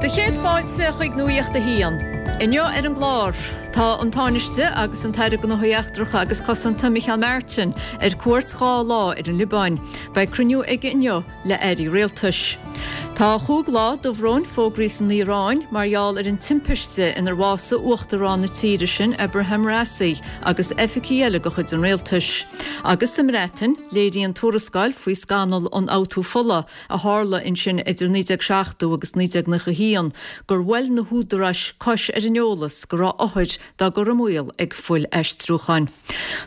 Do chéad fáilte chuig Nuacht a hAon. Inniu ar an gclár, tá an Tánaiste agus an tAire Gnóthaí Eachtracha agus Cosanta Micheál Martin ar cuairt 2 lá ar an Liobáin. Beidh cruinniú aige inniu le airí rialtais. Tá chúig lá dobhróin fógraithe san Iaráin mar gheall ar an timpiste inar bhásaigh uachtarán na tíre sin Ebrahim Raisi agus oifigigh eile de chuid an rialtais. Agus sa mBreatain, léiríonn tuarascáil faoi scannal ionfhabhtú fola a tharla ansin idir 1970 agus 1991 gur bhuail na húdaráis cois ar an eolas go raibh othair dá gcur i mbaol ag fuil-aistriúcháin.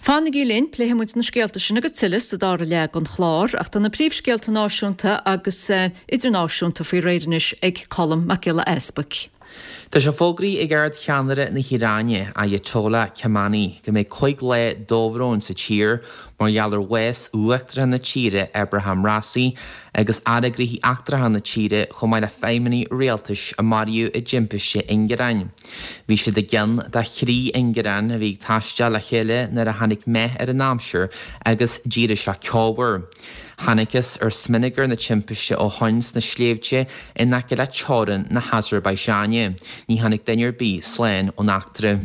Fanaigí linn, pléifidh muid na scéalta sin agus tuilleadh sa dara leath den chlár, ach tá na príomhscéalta náisiúnta agus idirnáisiúnta faoi réir anois ag Colm Mac Giolla Easbuic. Tá sé fógraithe ag Ard-Cheannaire na hIaráine, Ayatollah Khamenei, go mbeidh 5 lá dobhróin sa tír mar gheall ar bhás Uachtarán na tíre Ebrahim Raisi agus Aire Gnóthaí Eachtracha na tíre chomh maith le feidhmeannaigh rialtais a maraíodh i dtimpiste ingearáin. Bhí siad i gceann de thrí ingearán a bhí ag taisteal le chéile nuair a tháinig meath ar an aimsir agus d'éirigh sé ceomhar. Thángthas ar smionagar na timpiste ó shoin sna sléibhte in aice le teorainn na hAsarbaiseáine. Ní tháinig duine ar bith slán ón eachtra.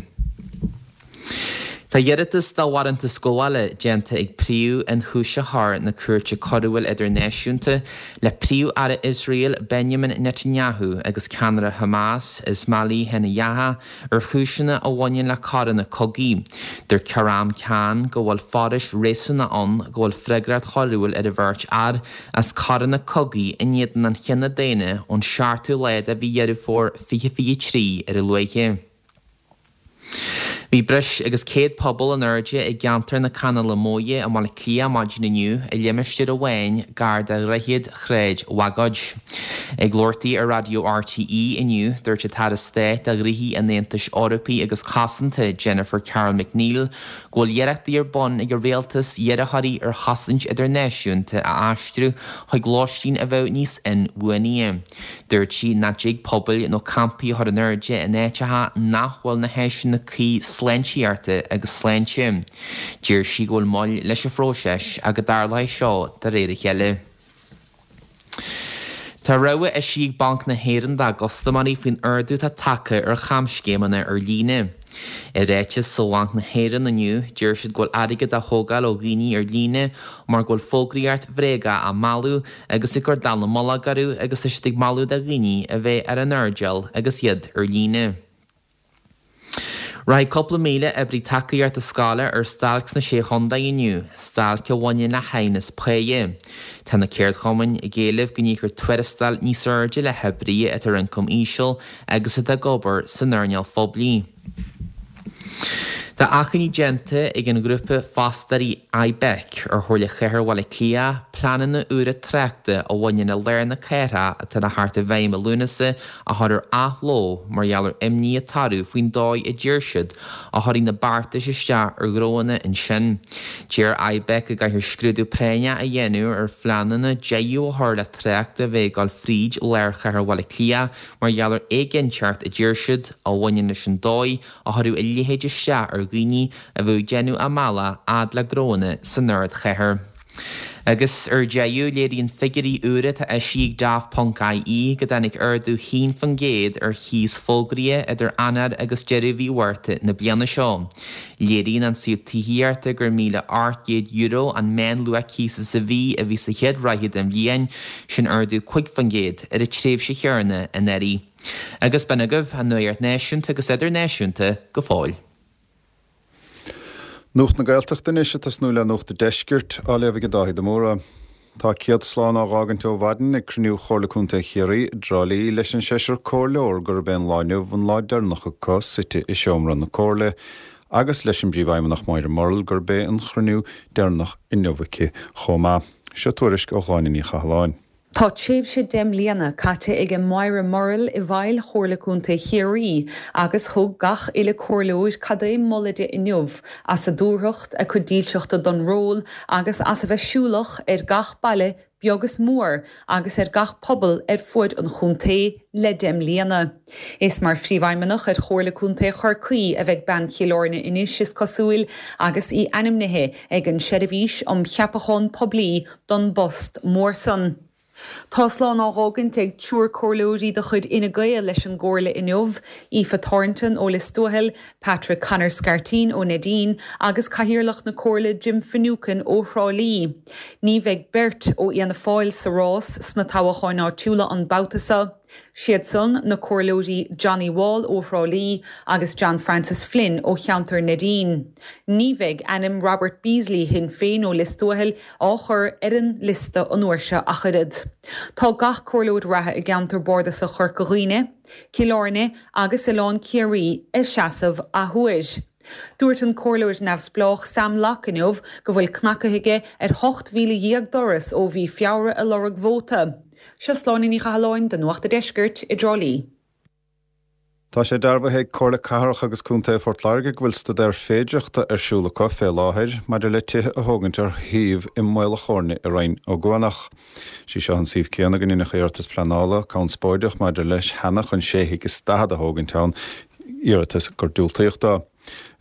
Tá iarratas do bharántas gabhála déanta ag Príomh-Ionchúisitheoir na Cúirte Coiriúil Idirnáisiúnta le Príomh-Aire Iosrael Benjamin Netanyahu agus ceannaire Hamas Ismaili Haniyeh ar chúiseanna a bhaineann le coireanna cogaidh. Dúirt Karim Khan go bhfuil forais réasúnacha ann go bhfuil freagracht choiriúil ar an bheirt fhear as coireanna cogaidh in éadan an chine daonna ón seachtú lá de mhí Dheireadh Fómhair 2023 ar a luaithe. Bhí breis agus 100 puball in airde i gceantar na Canála Móire i mBaile Átha Cliath maidin inniu i limistéar amháin gar do dhroichead Shráid Bhagóid. Ag labhairt di ar raidió RTÉ inniu, dúirt an tAire Stáit do Ghnóthaí an Aontais Eorpaigh agus Cosanta, Jennifer Carroll MacNeill, go bhfuil iarrachtaí ar bun ag an rialtas iarrthóirí ar chosaint idirnáisiúnta a aistriú chuig lóistín a bheadh níos inbhuanaithe. Dúirt sí nach dtig pubaill nó campaí a chur in airde in áiteacha nach bhfuil na háiseanna cuí sláintíochta agus sláinte. Deir sí go bhfuil moill leis an phróiseas ach go dtarlóidh seo de réir a chéile. Tá rabhadh eisithe ag Banc na hÉireann dá gcustaiméirí faoin ardú atá tagtha ar chamscéimeanna ar líne. I ráiteas ó Bhanc na hÉireann inniu, deir siad go bhfuil airgead á thógáil ó dhaoine ar líne mar go bhfuil fógraíocht bhréagach á mealladh agus ag cur dallamullóg orthu agus tá siad ag moladh do dhaoine a bheith ar a n-airdeall agus iad ar líne. Rachaidh cúpla 1,000 oibrí tacaíochta scoile ar stailc sna Sé Chontae inniu, stailc a bhaineann le haighneas páighe. Tá na ceardchumainn ag éileamh go n-íocfar tuarastail níos airde le hoibrithe atá ar ioncam íseal agus atá ag obair san earnáil phoiblí. Tá achainí déanta ag an ghrúpa fostóirí IBEC ar Chomhairle Chathair Bhaile Átha Cliath pleananna úra tráchta a bhaineann le lár na cathrach atá le theacht i bhfeidhm i Lúnasa a chur ar athló mar gheall ar imní atá orthu faoin dóigh a deir siad a chuirfidh na beartais isteach ar ghnóanna ansin. Deir IBEC go gcaithfear scrúdú práinneach a dhéanamh ar phleananna deireadh a chur le trácht a bheith ag dul fríd lár chathair Bhaile Átha Cliath mar gheall ar éiginnteacht a deir siad a bhaineann leis an dóigh a chuirfeadh a leithéid isteach ar dhaoine a bheadh ag déanamh a mbealach fhad le gnóanna san ardchathair. Agus ar deireadh, léiríonn figiúirí úra atá eisithe ag Daft Ponc IE go dtáinig ardú 1% ar chíos fógraithe idir Eanáir agus deireadh mhí Mhárta na bliana seo. Léiríonn an suíomh tithíochta gur €1,800 an meánluach cíosa sa mhí a bhí sa chéad ráithe den bhliain, sin ardú 5% ar an tréimhse chéanna anuraidh. Agus b'in agaibh an nuacht náisiúnta agus idirnáisiúnta go fóill. Nuacht na Gaeltachta anois ag tosnú le Nuacht an Deiscirt, á léamh ag Dáithí de Mórdha. Tá céad slán á dh'fhágaint ó mhaidin ag cruinniú Chomhairle Contae Chiarraí i dTrá Lí leis an seisear comhairleoir gurb é an lá inniu an lá deireanach acu suite i seomra na comhairle agus leis an bPríomhfheidhmeannach Moira Murrell gurb é an chruinniú deireanach inniu aici chomh maith. Seo tuairisc ó Shláine Ní Chathalláin. Tá tréimhse 10 mbliana caite ag Moira Murrell i bhfeighil Chomhairle Contae Chiarraí agus thug gach uile comhairleoir cad é moladh di inniu as a dúthracht, a cuid dílseachta don ról agus as a bheith siúlach ar gach baile beag is mór agus ar gach pobal ar fuaid an chontae le 10 mbliana. Is mar Phríomhfheidhmeannach ar Chomhairle Contae Chorcaí a bheidh bean Chill Airne anois, is cosúil, agus í ainmnithe ag an Seirbhís um Cheapachán Poiblí don bpost mór san. Tá slán á dh'fhágaint ag triúr comhairleoirí de chuid Fhine Gael leis an gComhairle inniu, Aoife Thornton ó Lios Tuathail, Patrick Conor Scarteen ó Neidín agus Cathaoirleach na Comhairle Jim Finucane ó Thrá Lí. Ní bheidh beirt ó Fhianna Fáil sa rás sna toghacháin áitiúla an babhta seo. Siad san, na Comhairleoirí Johnny Wall ó Thrá Lí agus John Francis Flynn ó cheantar Neidín. Ní bheidh ainm Robert Beasley Shinn Féin ó Lios Tuathail á chur ar an liosta an uair seo ach oiread. Tá gach comhairleoir reatha i gceantar bardasach Chorca Dhuibhne, Cill Airne agus Oileán Ciarraí ag seasamh athuair. Dúirt an comhairleoir neamhspleách Sam Locke inniu go bhfuil cnacaithe aige ar 18,000 doras ó mhí Feabhra ag lorg vóta. Seo Sláine Ní Chathalláin do Nuacht a' Deiscirt i dTrá Lí. Tá sé dearbhaithe ag Comhairle Cathrach agus Contae Phort Láirge go bhfuil staidéar féidireachta ar siúl acu fé láthair maidir le tithe a thógaint ar shuíomh i Maol a' Chóirne i Rinn Ó gCuanach. Sé seo an suíomh céanna go ndeineadh iarratas pleanála conspóideach maidir leis cheana chun sé thigh is daichead a thógaint ann, iarratas gur diúltaíodh dó.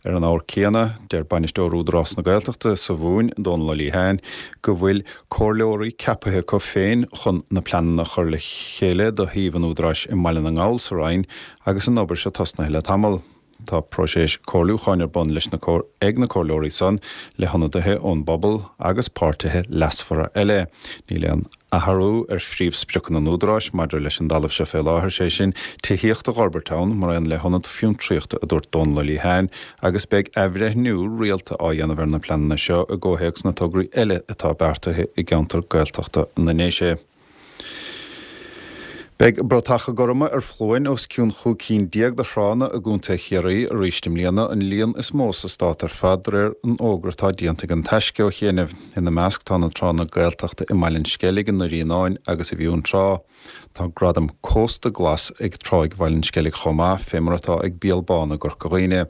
Ar an ábhar céanna, deir Bainisteoir Údarás na Gaeltachta sa Mhumhain, Dónal Ó Liatháin, go bhfuil comhairleoirí ceapaithe acu féin chun na pleananna a chur le chéile do shuíomh an Údaráis i mBaile na nGall sa Rinn agus an obair seo tosnaithe le tamall. Tá próiseas comhairliúcháin ar bun leis na ag na comhairleoirí san le hionadaithe ón bpobal agus páirtithe leasmhara eile. Níl aon athrú ar phríomhspriocanna an Údaráis maidir leis an dtalamh seo fé láthair, sé sin, tithíocht a dh'fhorbairt ann, mar aon le hionad fiontraíochta, a dúirt Dónal Ó Liatháin, agus beidh athbhreithniú rialta á dhéanamh ar na pleananna seo i gcomhthéacs na tograí eile atá beartaithe i gceantar Gaeltachta na nDéise. Beidh bratacha gorma ar foluain os cionn chúig cinn déag de thránna i gContae Chiarraí arís i mbliana, an líon is mó sa stát ar fad, de réir an fhógra atá déanta ag An Taisce ó chianaibh. Ina measc tá na tránna Gaeltachta i mBaile an Sceilg, i nDoire Fhíonáin agus i bhFionntrá. Tá gradam Cósta Glas ag Tráigh Bhaile an Sceilg chomh maith, fé mar atá ag Béal Bán i gCorca Dhuibhne.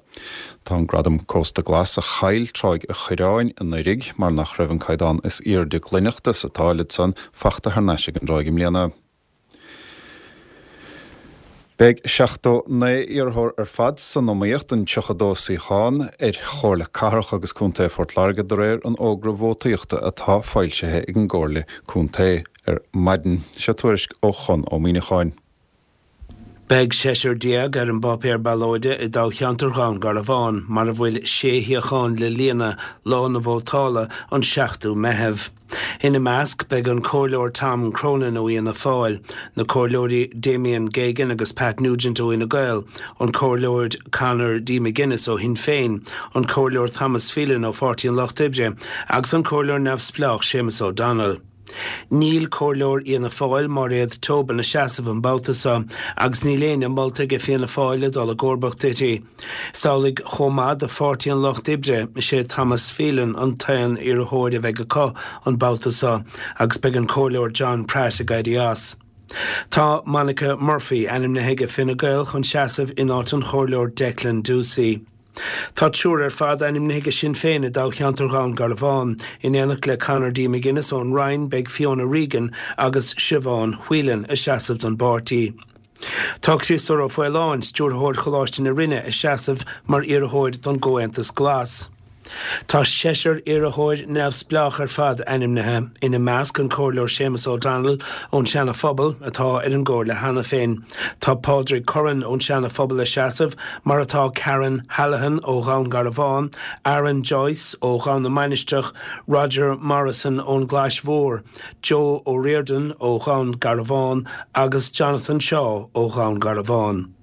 Tá an gradam Cósta Glas a chaill Tráigh a' Choireáin anuraidh, mar nach raibh an caighdeán is aoirde glaineachta sa táilead san, fachta thar n-ais ag an dtráigh i mbliana. Beidh 79 iarrthóir ar fad san iomaíocht don 32 suíochán ar Chomhairle Cathrach agus Contae Phort Láirge de réir an fhógra vótaíochta atá foilsithe ag an gComhairle Contae ar maidin. Seo tuairisc ó Chonn Ó Muíneacháin. Beidh seisear déag ar an bpáipéar ballóide i dtoghcheantar Dhún Garbhán, mar a bhfuil sé shuíochán le líonadh, lá na vótála, an 7ú Meitheamh. Ina measc beidh an Comhairleoir Tom Cronin ó Fhianna Fáil, na Comhairleoirí Damien Geoghegan agus Pat Nugent ó Fhine Gael, an Comhairleoir Conor D McGuinness ó Shinn Féin, an Comhairleoir Thomas Phelan ó Pháirtí an Lucht Oibre agus an Comhairleoir neamhspleách Séamus O'Donnell. Níl Comhairleoir Fhianna Fáil, Máiréad Tobin, ag seasamh an babhta seo agus níl éinne molta aige Fianna Fáil le dul i gcomharbacht uirthi. Is amhlaidh chomh maith do Pháirtí an Lucht Oibre, is é Thomas Phelan an t-aon iarrthóir a bheidh acu an babhta seo agus beidh an Comhairleoir John Pratt ag éirí as. Tá Monica Murphy ainmnithe aige Fine Gael chun seasamh in áit an Chomhairleoir Declan Ducey. Tá triúr ar fad ainmnithe aige Sinn Féin i dtoghcheantar Dhún Garbhán. In éineacht le Conor D. McGuinness ón Rinn beidh Fiona Regan agus Siobhán Whelan ag seasamh don bpáirtí. Tá Criostóir Ó Faoláin, Stiúrthóir Choláiste na Rinne, ag seasamh mar iarrthóir don gComhaontas Glas. Tá seisear iarrthóir neamhspleách ar fad ainmnithe, ina measc an Comhairleoir Séamus O'Donnell ón Seana Phobal, atá ar an gComhairle cheana féin. Tá Pádraig Curran ón Seana Phobal ag seasamh, mar atá Karen Hallahan ó Dhún Garbhán, Aaron Joyce ó Dhún na Mainistreach, Roger Morrison ón gClais Mhór, Joe O'Riordan ó Dhún Garbhán agus Jonathan Shaw ó Dhún Garbhán.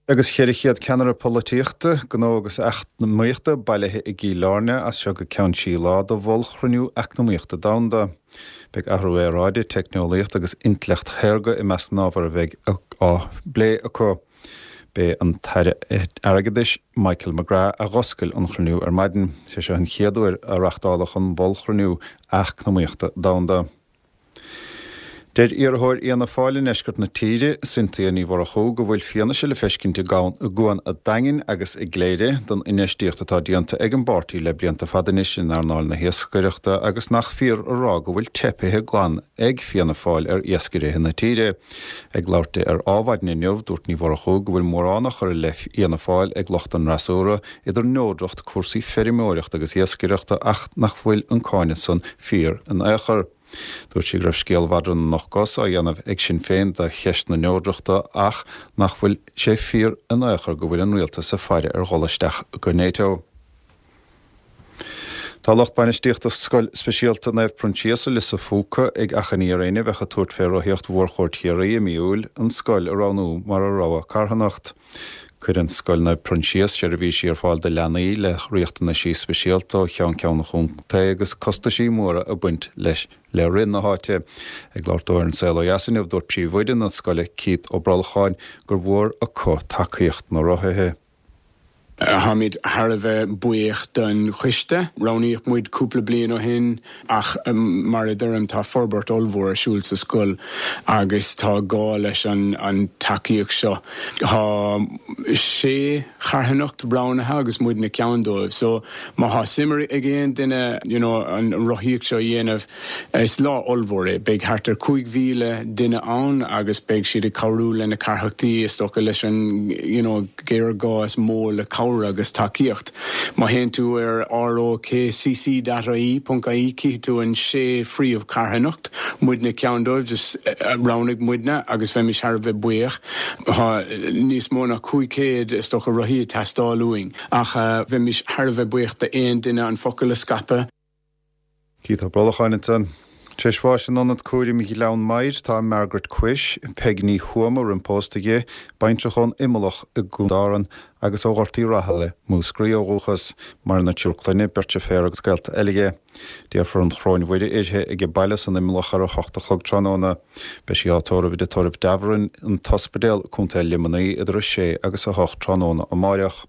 Agus 400 ceannaire polaitíochta, gnó agus eacnamaíochta bailithe i gCill Airne as seo go ceann trí lá do mhollchruinniú eacnamaíochta domhanda. Beidh athrú aeráide, teicneolaíocht agus intleacht shaorga i measc na n-ábhar a bheidh á bplé acu. B'é an tAire Airgeadais Michael McGrath a dh'oscail an chruinniú ar maidin. Sé seo an chéad uair a reachtáladh an mhollchruinniú eacnamaíochta domhanda. Deir iarrthóir Fhianna Fáil i ndeisceart na tíre, Cynthia Ní Mhurchú, go bhfuil fianaise le feiscint i gCuan a' Daingin agus i gCléire don infheistíocht atá déanta ag an bpáirtí le blianta fada anois in earnáil na hiascaireachta agus nach fíor a rá go bhfuil teipithe glan ag Fianna Fáil ar iascairithe na tíre. Ag labhairt di ar Ádhmhaidin inniu, dúirt Ní Mhurchú go bhfuil mórán á chur i leith Fhianna Fáil ag lucht an fhreasúra, idir neodracht, cúrsaí feirmeoireachta agus iascaireachta ach nach bhfuil an cáineadh san fíor in aon chor. Dúirt sí go raibh scéal mhadra na n-ocht gcos á dhéanamh ag Sinn Féin de cheist na neodrachta ach nach bhfuil sé fíor in aon chor go bhfuil an rialtas ag faire ar dhul isteach go NATO. Tá lucht bainistíochta Scoil Speisialta Naomh Proinsias i Lios a' Phúca ag achainí ar éinne a bheadh ag tabhairt fé rothaíocht Mhórchuaird Chiarraí i mí Iúil an scoil a roghnú mar a rogha carthanacht. Cuireann Scoil Naomh Proinsias seirbhísí ar fáil do leanaí le riachtanaisí speisialta ó cheann ceann an chontae agus costaisí móra ag baint leis le rith na háite. Ag labhairt dó ar An Saol Ó Dheas inniu dúirt príomhoide na scoile Keith Ó Brolcháin gur mhór acu tacaíocht na rothaithe. Táimid thar a bheith buíoch don choiste. Roghnaíodh muid cúpla bliain ó shin ach mar a deirim tá forbairt ollmhór ar siúl sa scoil agus tá gá leis an tacaíocht seo. Tá sé charthanacht roghnaithe agus muidne ceann dóibh so má thá suim ag aon duine you know an rothaíocht seo a dhéanamh Is lá ollmhór é. Beidh thart ar 5,000 duine ann agus beidh siad ag cabhrú le na carthanachtaí, is dócha, leis an you know géarghá is mó le cabhair agus tacaíocht. Má théann tú ar rokcc dot ie, ponc ie, cífidh tú an sé phríomh-charthanacht, muidne ceann dóibh, just roghnaigh muidne agus bheimis thar a bheith buíoch. Tá níos mó ná 500, is dócha, rothaí ag teastáil uainn ach bheimis thar a bheith buíoch d'aon duine an focal a scaipeadh. Keith Ó Brolcháin ansan. Tar éis bháis in Ionad Cúraim Ghleann Maghair tá Margaret Quish, Peig Ní Thuama roimh pósta di, baintreach ón Imeallach i gContae Árann agus ó Ghort Uí Rathaille, Múscraí ó dhúchas. Maireann a triúr clainne, beirt deirféar agus gaolta eile dhi. Déarfar an Choróin Mhuire uirthi ag a baile san Imeallach ar 8 a chlog tráthnóna. Beidh sí á tórramh i dTigh Tórraimh Davoren, An tOspidéal, Co. Luimnigh idir 6 agus 8 tráthnóna amáireach.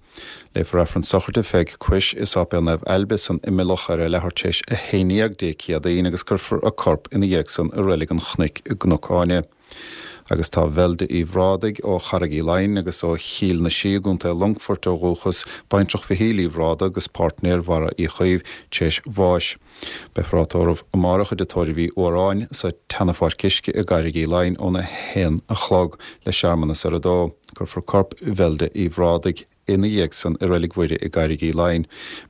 Léifear Aifreann sochraide Pheig Quish i Sáipéal Naomh Ailbe san Imileach ar a leathuair tar éis 11 Dé Céadaoin agus cuirfear a corp ina dhiaidh san i Reilig an Chnoic i gCnoc Áine. Agus tá Velda Uí Bhrádaigh ó Charraig Uí Leighin agus ó Chill na Sí i gContae Longfoirt ó dhúchas, baintreach Mhichíl Uí Bhrádaigh agus páirtnéir Bharra Uí Chaoimh, tar éis bháis. Beifear á tórramh amárach i dTigh Tórraimh Uí Fhuaráin sa tSeana-Pháirc Uisce i gCarraig Uí Leighin óna haon a chlog le searmanas ar a dó. Cuirfear corp Velda Uí Bhrádaigh ina dhiaidh san i Reilig Mhuire i gCarraig Uí Leighin.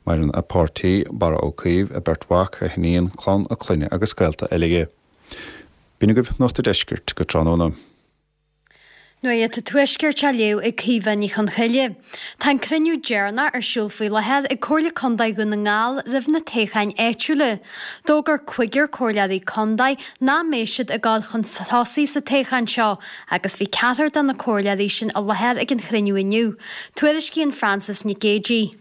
Maireann a páirtí, Barra Ó Caoimh, a beirt mhac, a hiníon, clann a clainne agus gaolta eile dhi. B'in agaibh Nuacht a' Deiscirt go tráthnóna. Nuacht an Tuaiscirt á léamh ag Caoimhe Ní Chonchoille. Tá an cruinniú deireanach ar siúl faoi láthair ag Comhairle Contae Dhún na nGall roimh na toghcháin áitiúla. D'fhógair cúigear comhairleoirí contae nach mbeidh siad ag dul chun tosaigh sa toghchán seo agus bhí ceathrar de na comhairleoirí sin i láthair ag an chruinniú inniu. Tuairiscíonn Frances Nic Géadaigh.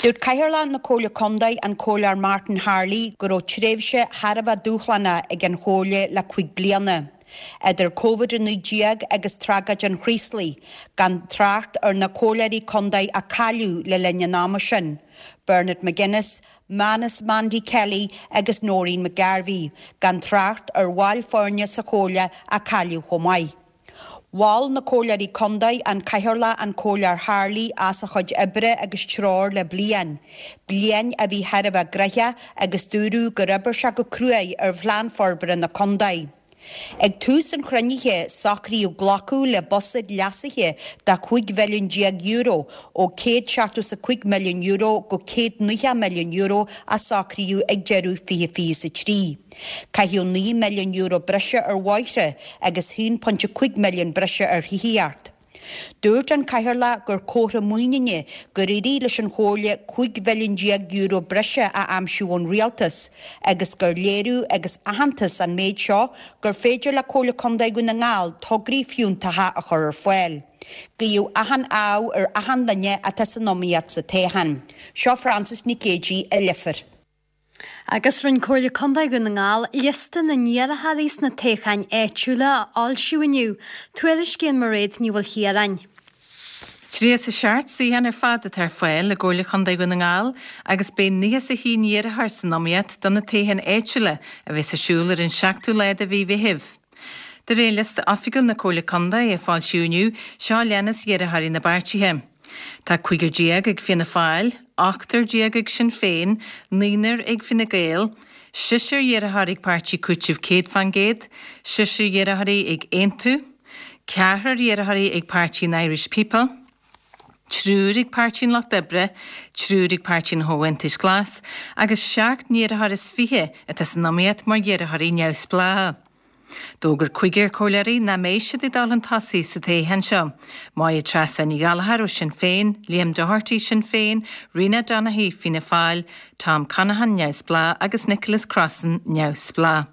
Dúirt Cathaoirleach na Comhairle Contae, an Comhairleoir Martin Harley, go raibh tréimhse thar a bheith dúshlánach ag an Chomhairle le 5 bliana. Idir Covid-19 agus tragóid an Chraoslaigh, gan trácht ar na comhairleoirí contae a cailleadh le linn an ama sin, Bernard McGuinness, Manus Mandy Kelly agus Noreen McGarvey, gan trácht ar bhaill foirne sa Chomhairle a cailleadh chomh maith. Mhol na Comhairleoirí Contae, an Cathaoirleach an Comhairleoir Harley as a chuid oibre agus treoir le bliain. Bliain a bhí thar a bheith gnoitheach agus dúradh gur oibir sé go cruaidh ar Phlean Forbartha na Contae. Ag tús an chruinnithe, socraíodh glacadh le buiséad leasaithe de €15 mhilliún ó €175 milliún go €190 milliún a socraíodh ag deireadh 2023. Caitheadh €9 milliún breise ar bhóithre agus €1.5 milliún breise ar thithíocht. Dúirt an Cathaoirleach gur comhartha muiníne gur éirigh leis an Chomhairle €15 mhilliún breise a aimsiú ón Rialtas agus gur léiriú agus aitheantas an méid seo gur féidir le Comhairle Contae Dhún na nGall tograí fiúntacha a chur ar fáil. Guíodh achan ádh ar achan duine atá san iomaíocht sa toghchán. Seo Frances Nic Géadaigh i Leifear. Agus rinne Comhairle Contae Dhún na nGall liosta na n-iarrthóirí sna toghcháin áitiúla a fhoilsiú inniu, tuairiscíonn Mairéad Ní Mhaoilchiaráin. 37 suíochán ar fad atá ar fáil i gComhairle Chontae Dhún na nGall agus beidh 91 iarrthóir san iomaíocht do na toghcháin áitiúla a bheas ar siúl ar an seachtú lá de mhí Mheithimh. De réir liosta oifigiúil na Comhairle Contae a foilsíodh inniu, seo a leanas iarrthóirí na bpáirtithe. Tá cúigear déag ag Fianna Fáil, ochtar déag ag Sinn Féin, naonúr ag Fine Gael, seisear iarrthóir ag Páirtí Cúitimh 100%, seisear iarrthóirí ag Aontú, ceathrar iarrthóirí ag Páirtí an Irish People. Triúr ag Páirtí an Lucht Oibre, triúr ag Páirtí an Chomhaontais Ghlais agus seacht n-iarrthóir is 20 atá san iomaíocht mar iarrthóirí neamhspleácha. D'fhógair cúigear comhairleoirí nach mbeidh siad ag dul chun tosaigh sa toghchán seo, Máire Treasa Ní Ghallchóir ó Sinn Féin, Liam Doherty, Sinn Féin, Rena Donaghey, Fianna Fáil, Tom Conaghan, Neamhspleách, agus Nicholas Crossan, Neamhspleách.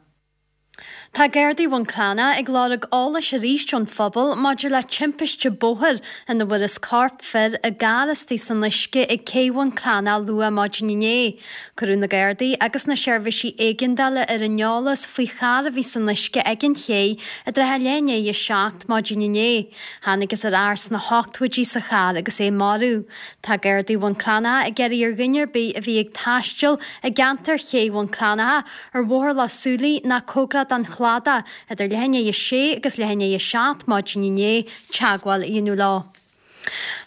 Tá Gardaí Bhun Cranncha ag lorg eolais arís ón phobal maidir le timpiste bóthair ina bhfuarthas corp fir i gcarr istigh san uisce ag Cé Bhun Cranncha luath maidin inné. Cuireadh na Gardaí agus na seirbhísí éigeandála ar an eolas faoi charr a bhí san uisce ag an ché i dtrátha leath i ndiaidh 7 maidin inné. Thángthas ar fhear sna hochtóidí sa charr agus é marbh. Tá Gardaí Bhun Cranncha ag iarraidh ar dhuine ar bith a bhí ag taisteal i gceantar Ché Bhun Cranncha, ar Bhóthar Loch Súilí ná cóngarach don chladach idir leath i ndiaidh 6 agus leath i ndiaidh 7 maidin inné, teagmháil a dhéanamh leo.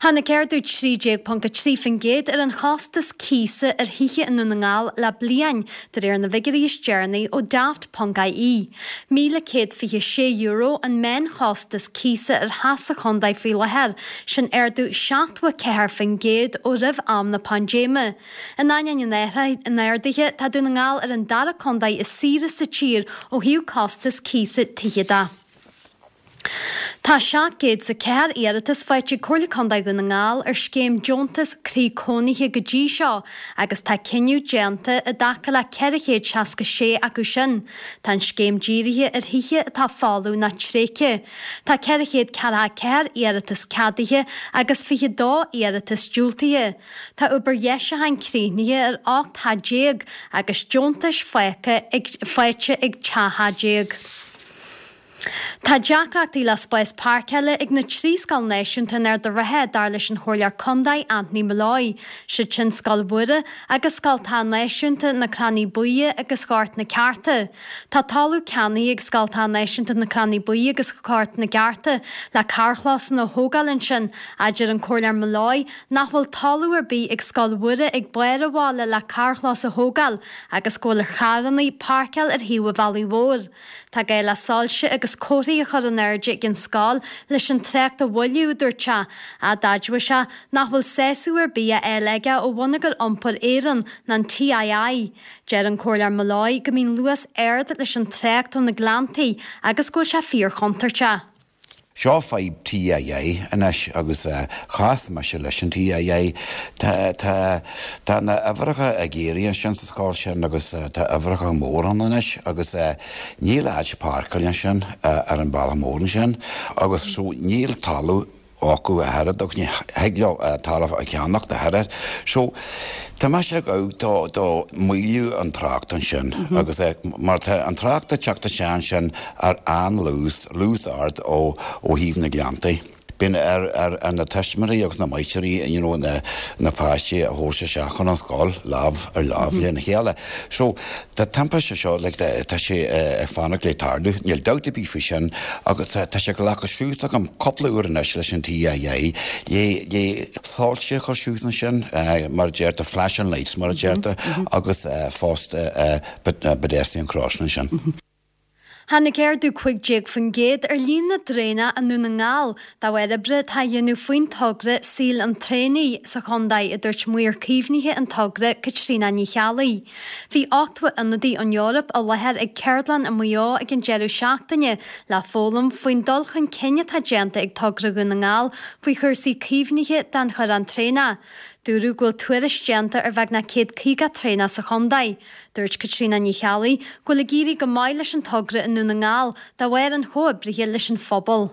Tháinig ardú 13.3% ar an chostas cíosa ar thithe i nDún na nGall le bliain, de réir na bhfigiúirí is deireanaí ó Daft.ie. €1,126 an meánchostas cíosa ar theach sa chontae faoi láthair, sin ardú 74% ó roimh am na paindéime. In ainneoin an ardaithe, tá Dún na nGall ar an dara contae is saoire sa tír ó thaobh costas cíosa tithe de. Tá 704 iarratas faighte ag Comhairle Contae Dhún na nGall ar scéim deontas croí cónaithe go dtí seo agus tá cinneadh déanta i dtaca le 466 acu sin. Tá an scéim dírithe ar thithe atá folamh ná tréigthe. Tá 444 iarratas ceadaithe agus 22 iarratas diúltaithe. Tá obair dheisiúcháin críochnaithe ar 18 theach agus deontais faighte ag 13 theach. Tá deacrachtaí le spás páirceála ag na trí scoil náisiúnta in Ard an Rátha, dar leis an Chomhairleoir Contae Anthony Molloy. Siad sin Scoil Mhuire agus Scoil Náisiúnta na Crannaí Buí agus Ghort na Ceárta. Tá talamh ceannaithe ag Scoil Náisiúnta na Crannaí Buí agus Ghort na gCeárta le carrchlósanna a thógáil ansin, ach deir an Comhairleoir Molloy nach bhfuil talamh ar bith ag Scoil Mhuire ag barr an bhaile le carrchlós a thógáil agus go bhfuil ar charranna páirceáil ar thaobh an bhealaigh mhóir. Tá gá le soilse agus comharthaí a chur in airde ag an scoil leis an trácht a mhoilliú, a dúirt sé, ach d'admhaigh sé nach bhfuil sásamh ar bith á fháil aige ó Bhonneagar Iompair Éireann ná an TII. Deir an Comhairleoir Molloy go mbíonn luas ard leis an trácht ó na Gleanntaí agus go bhfuil sé fíorchontúirteach. Seo fadhb TII anois agus chas mise leis an TII. Tá, tá, tá na uimhreacha ag éirí ansin sa scoil sin agus tá uimhreacha mór ann anois agus níl áit páirceáil ansin ar an bealach mór ansin agus so níl talamh acu a thuilleadh agus ní thig leo talamh a cheannacht a thuilleadh. So tá mise ag gabháil do, do maolú an trácht ansin agus mar tá an trácht ag teacht isteach ansin ar an-luas, luas ard ó thaobh na Gleanntaí. Bíonn ar ar na tuismitheoirí agus na máistrí you know na na páistí a thabhairt isteach chun an scoil lámh ar lámh lena chéile. So tá timpiste seo like tá sé ag fanacht le tarlú, níl dabht ar bith faoi sin agus tá sé glactha suas agam cúpla uair anois leis an TII le le soilse a chur suas ansin mar a deirtear flashing lights mar a deirtear agus fosta pedestrian crossing ansin. Tháinig ardú 15% ar líon na dtraenach i nDún na nGall de bharr oibre atá á dhéanamh faoin togra Saol an Traonaigh sa chontae, a dúirt maor caomhnaithe an togra, Caitríona Ní Cheallaigh. Bhí 80 ionadaí ón Eoraip i láthair ag ceardlann i Maigh Eo ag an deireadh seachtaine le foghlaim faoin dul chun cinn atá déanta ag togra Dhún na nGall faoi chúrsaí caomhnaithe den chorrán traenach. Dúradh go bhfuil tuairisc déanta ar bheagnach 150 traonach sa chontae. Dúirt Caitríona Ní Cheallaigh go bhfuil ag éirí go maith leis an togra i nDún na nGall de bharr an chomhoibrithe leis an phobal.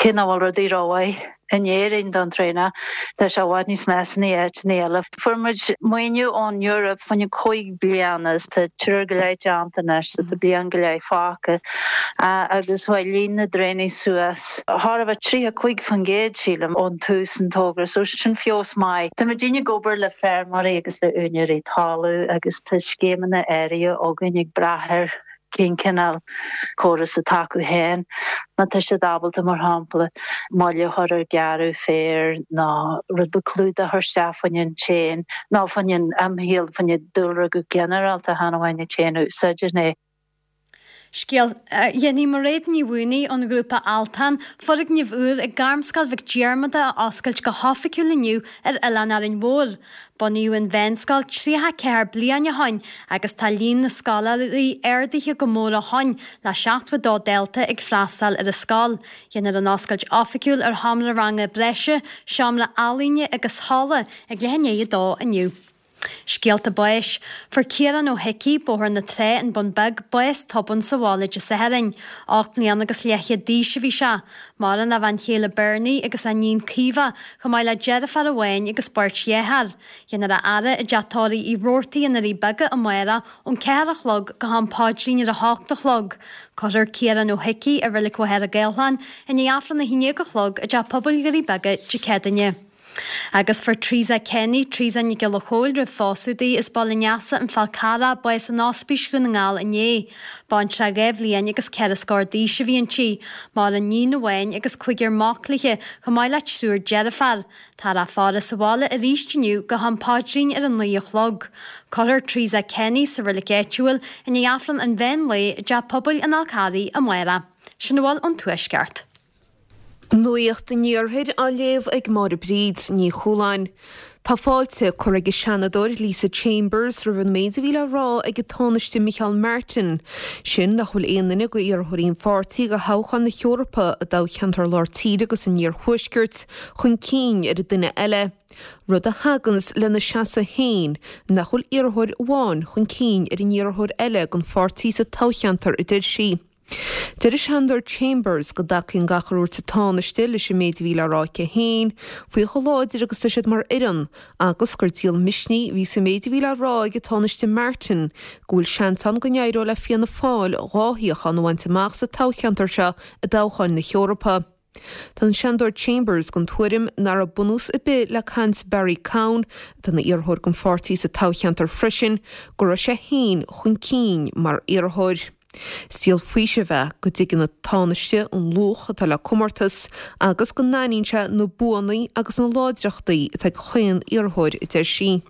Cé nach bhfuil rudaí rómhaith in Éirinn don traonach, tá sé i bhfad níos measa in áiteanna eile. Fuair muid maoiniú ón Eoraip fá choinne cúig bliana is tá triúr go leith déanta anois so tá bliain go leith fágtha agus chuaigh líon na dtraonaigh suas chóir a bheith 35% sílim ón tús an togra so sin feabhas maith. Tá muidinne ag obair le feirmeoirí agus le úinéirí talaimh agus tá scéimeanna áirithe againn ag brath ar cén cineál córas atá acu féin. Má tá siad ábalta, mar shampla, moill a chur ar gearradh féir nó rud beag clúdach a chur isteach fá choinne an tséin nó fá choinne an imshaol, fá choinne dúlra go ginearálta, chan amháin an tséin a úsáideann é. Scéal, Dhéanfaidh Mairéad Ní Mhaonaigh ón ghrúpa Altan foirgneamh úr ag Gairmscoil Mhic Diarmada a oscailt go hoifigiúil inniu ar Oileán Árainn Mhór. Bunaíodh an mheánscoil 34 bliain ó shoin agus tá líon na scoláirí ardaithe go mór ó shoin le 72 dalta ag freastal ar an scoil. Déanfar an oscailt oifigiúil ar sheomra ranga breise, seomra ealaíne agus halla ag leath i ndiaidh a dó inniu. Scéalta báis. Fuair Ciarán Ó hIcí, Bóthar na Trá, An Bun Beag, bás tobann sa bhaile Dé Sathairn. 8 mbliana agus leathchéad d'aois a bhí sé. Maireann a bhean chéile Bernie agus a iníon Caoimhe, chomh maith le deirfiúr amháin agus beirt dhearthár. Déanfar a fhaire i dteach tórraimh Uí Robhartaigh i nDoirí Beaga amárach ón 4 a chlog go ham paidrín ar a hocht a chlog. Cuirfear Ciarán Ó hIcí i Reilig Mhachaire Gathlán i ndiaidh Aifreann 11 a chlog i dTeach Pobail Dhoirí Beaga Dé Céadaoine. Agus fuair Teresa Kenny, Teresa Nic Giolla Chóill roimh phósadh di, as Baile an Easa, An Fál Carrach, bás in Ospís Dhún na nGall inné. Baintreach 2 bhliain agus ceithre scór d'aois a bhí inti. Maireann níon amháin agus cúigear mac léi, chomh maith le triúr deirfiúr. Táthar á faire sa bhaile arís inniu go ham paidrín ar a 9 a chlog. Cuirfear Teresa Kenny sa reilig áitiúil i ndiaidh Aifreann an mheán lae i dTeach Pobail an Fháil Charraigh amárach. Sin a bhfuil ón Tuaisceart. Nuacht an Iarthair á léamh ag Máire Bríd Ní Chualáin. Tá fáilte curtha ag an Seanadóir Lisa Chambers roimh an méid a bhí le rá ag an Tánaiste Micheál Martin, sin nach bhfuil aon duine d'iarrthóirí an pháirtí do thoghchán na hEorpa i dtoghcheantar Lár Tíre agus an Iarthuaiscirt chun cinn ar an duine eile, rud a thaganns lena seasamh féin nach bhfuil iarrthóir amháin chun cinn ar an iarrthóir eile don pháirtí sa toghcheantar, a deir sí. Deir an Seanadóir Chambers go dtacaíonn gach ar dhúirt an Tánaiste leis an méid a bhí le rá aici féin faoi chomh láidir agus tá siad mar fhoireann agus gur díol misnigh a bhí sa méid a bhí le rá ag an Tánaiste Martin go bhfuil seans ann go n-éireodh le Fianna Fáil dhá shuíochán a bhaint amach sa toghcheantar seo i dtoghcháin na hEorpa. Tá an Seanadóir Chambers den tuairim nach raibh bunús ar bith le caint Barry Cowen, atá ina iarrthóir don pháirtí sa toghcheantar freisin, go raibh sé féin chun cinn mar iarrthóir. Is díol faoisimh é go dtuigeann an Tánaiste an luach atá le comórtas agus go n-aithníonn sé na buanna agus na láidreachtaí atá ag chaon iarrthóir, a deir sí.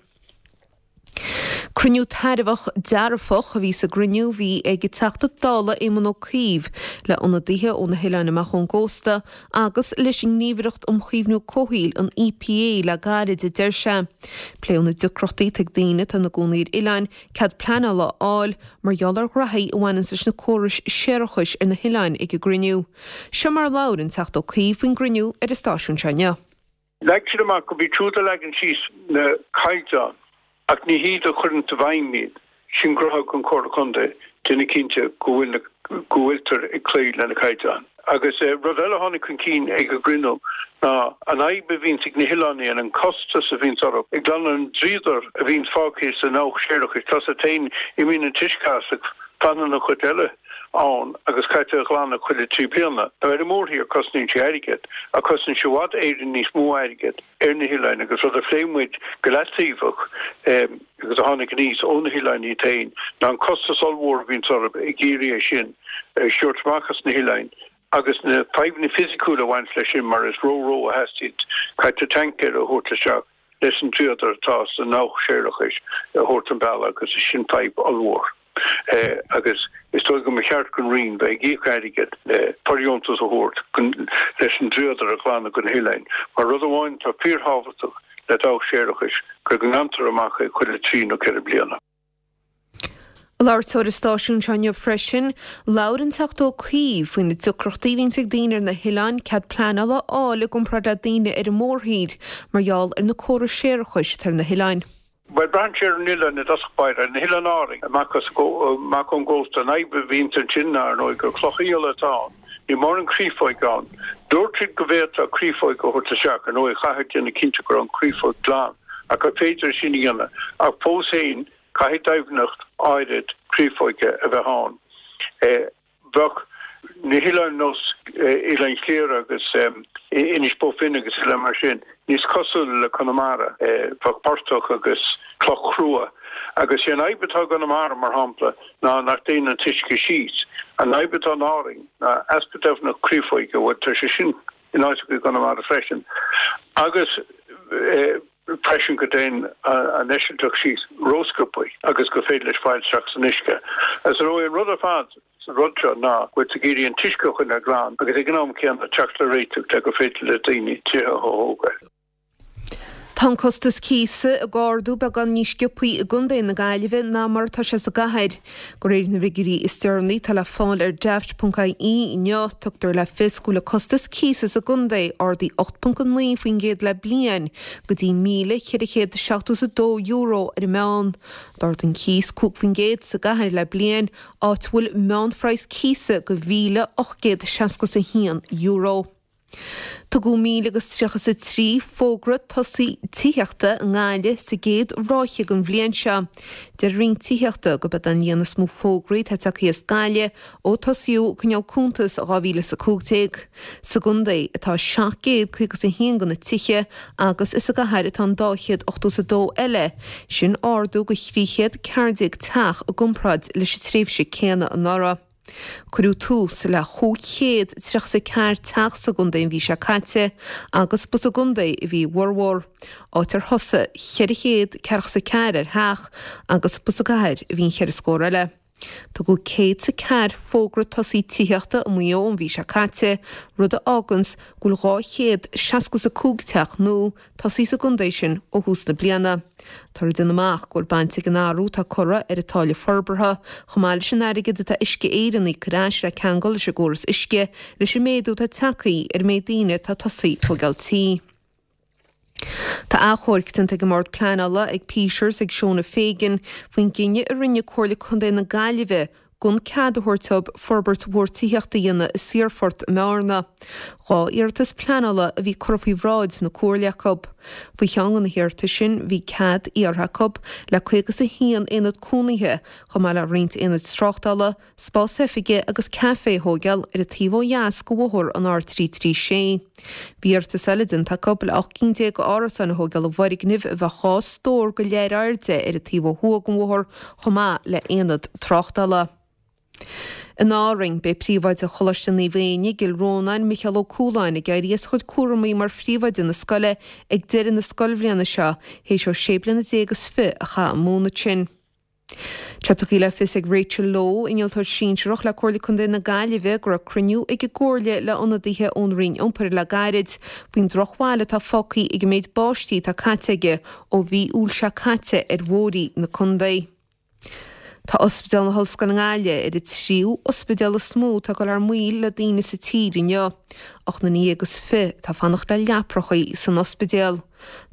Cruinniú tairbheach dearfach a bhí sa gcruinniú a bhí ag an Teachta Dála Éamon Ó Cuív le ionadaithe ó na hoileáin amach ón gcósta agus leis an nGníomhaireacht um Chaomhnú Comhshaoil, an EPA, le gairid, a deir sé. Pléadh na deacrachtaí atá ag daoine atá ina gcónaí ar oileáin cead pleanála a fháil mar gheall ar ghraithí a bhaineanns leis na córais séarachais ar na hoileáin ag an gcruinniú. Seo mar a labhair an Teachta Ó Cuív faoin gcruinniú ar an stáisiún seo inniu. Leag siad amach gurb iad siúd a leagann síos na caighdeáin ach ní hiad a chuireann i bhfeidhm iad. Sin gnótha an Chomhairle Contae, déanamh cinnte go bhfuil na, go bhfuiltear ag cloí le na caighdeáin. Agus rud eile a tháinig chun cinn ag an gcruinniú ná an fhadhb a bhíonns ag na hoileáin an costas a bhíonns orthu ag glanadh an dríodar a bhíonns fágtha sa ndabhach séarachais. Tá a fhios agat féin, imíonn an t-uisce as ach fanann an chuid eile. ann agus caithfidh tú é a ghlanadh chuile thrí bliana. Now ar an mórthír cosnaíonn sé airgead, ach cosnaíonn sé i bhfad Éireann níos mó airgead ar na hoileáin agus rud a phléigh muid go leataobhach agus a tháinig aníos ó na hoileáin iad féin ná an costas ollmhór a bhíonns orthu ag iarraidh é sin a thabhairt amach as na hoileáin agus na fadhbanna fisiciúla a bhaint leis sin mar is ró-ró a theastaíonn, caithfidh tú tancaeir a thabhairt isteach leis an dríodar atá sa ndabhach séarachais a thabhairt an bealach agus sin fadhb ollmhór. Agus is dóigh go mba cheart don Roinn bheith ag íoc airgead le fóirdheontas a thabhairt leis an dríodar a ghlanadh de na hoileáin. Mar rud amháin atá fíorthábhachtach le dabhach séarachais go nglantar amach é chuile thrí nó ceithre bliana. Ag labhairt dó ar an stáisiún seo inniu freisin, labhair an Teachta Ó Cuív faoi na deacrachtaí a bhíonns ag daoine ar na hoileáin cead pleanála a fháil i gcomparáid le daoine ar an mórthír mar gheall ar na córais séarachais atá ar na hoileáin. Bhuel, braitheann sé ar an oileán i dtosach báire. Na hOileáin Árainn, amach as, amach ón gcósta, an fhadhb a bhíonns ansin ná, ar ndóigh, gur clocha aola atá ann. Níl mórán créafóige ann. Dúirt siad go bhféadfá créafóig a thabhairt isteach. Ar ndóigh, chaithfeá déanamh cinnte go raibh an chréafóig glan, ach gur féidir sin a dhéanamh. Ach fós féin, caithfidh doimhneacht áirid créafóige a bheith ann. Bheadh na hoileáin nós Oileán Chliara agus Inis Bó Finne agus oileáin mar sin níos cosúla le Conamara, bheadh portach agus cloch chrua. Agus sé an fhadhb atá i gConamara, mar shampla, ná nach dtéann an t-uisce síos. An fhadhb atá in Árainn ná easpa doimhneacht créafóige, bhuel tá sé sin in áiteacha i gConamara freisin. Agus. Freisin go dtéann an eisilteach síos rósciobtha agus gur féidir leis fáil isteach san uisce. Is ar ndóigh an rud ar fad sa rud seo ná go bhfuil tú ag iarraidh an t-uisce a choinneáil glan agus ag an am céanna teacht le réiteach le gur féidir le daoine tithe a thógáil. Tá an costas cíosa ag ardú beagán níos sciobthaí i gContae na Gaillimhe ná mar atá sé sa gcathair. De réir na bhfigiúirí is deireanaí atá le fáil ar Daft.ie inniu, tugtar le fios go bhfuil an costas cíosa sa gcontae ardaithe 8.9% le bliain, go dtí €1,472 ar an meán. D'ardaigh an cíos 5% sa gcathair le bliain, áit a bhfuil meánphraghas cíosa de €1,861. Tugadh 1,033 fógra tosaigh tithíochta i nGaillimh sa gcéad ráithe den bhliain seo. Deir an Roinn Tithíochta gurb é an líon is mó fógraí atá tagtha as Gaillimh ó tosaíodh ag coinneáil cuntas i 2015. Sa gcontae atá 751 de na tithe agus is sa gcathair atá an 282 eile, sin ardú de 314 teach i gcomparáid leis an tréimhse céanna anuraidh. Cuireadh tús le 534 teach sa gcontae an mhí seo caite agus ba sa gcontae a bhí a bhformhór, áit ar thosaigh 444 ar theach agus ba sa gcathair a bhí an cheithre scór eile. Tugadh 104 fógra tosaigh tithíochta i Maigh Eo an mhí seo caite, rud a fháganns go bhfuil 265 teach nua tosaithe sa gcontae sin ó thús na bliana. Táthar ag déanamh amach go bhfuil baint ag an athrú atá curtha ar an táille forbartha, chomh maith leis an airgead atá Uisce Éireann a íoc ar ais le ceangal leis an gcóras uisce, leis an méadú atá tagtha ar an méid daoine atá tosaithe ag tógáil tí. Tá achomharc déanta ag an mBord Pleanála, ag Peters, ag Shona Fagan, faoin gcinneadh a rinne Comhairle Contae na Gaillimhe gan cead a thabhairt dóibh forbairt mhór tithíochta a dhéanamh i Saorphort i mBearna. 2 iarratas pleanála a bhí curtha faoi bhráid na Comhairle acu. Faoi cheann de na hiarratais sin bhí cead iarrtha acu le 51 aonad cónaithe, chomh maith le roinnt aonaid tráchtála, spás oifige agus caife a thóigeáil ar an taobh ó dheas de bhóthar an R336. Bhí iarratas eile déanta acu le 18 cinn d'árasáin a thóigeáil i bhfoirgneamh a bheadh 2 stór go leith ar airde ar an taobh ó thuaidh den bhóthar chomh maith le haonad tráchtála. In Árainn, beidh príomhoide Choláiste Naomh Éinne i gCill Rónáin, Micheál Ó Cualáin, ag éirí as a chuid cúramaí mar phríomhoide na scoile ag deireadh na scoilbhliana seo, théis dó sé bliana déag is fi a chaitheamh ag múineadh ansin. Tá tugtha le fios ag Rachel Lowe, Innealtóir Sinsearach le Comhairle Contae na Gaillimhe, go raibh cruinniú ag an gComhairle le ionadaithe ón Roinn Iompair le gairid faoin drochbhail atá fágtha ag an méid báistí atá caite aige ó mhí Iúil seo caite ar bhóithrí na contae. Tá Ospidéal na hOllscoile i nGaillimh ar an tríú ospidéal is mó atá ag dul thar maoil le daoine sa tír inniu, 18 nduine is fi atá ag fanacht le leaprachaí san ospidéal.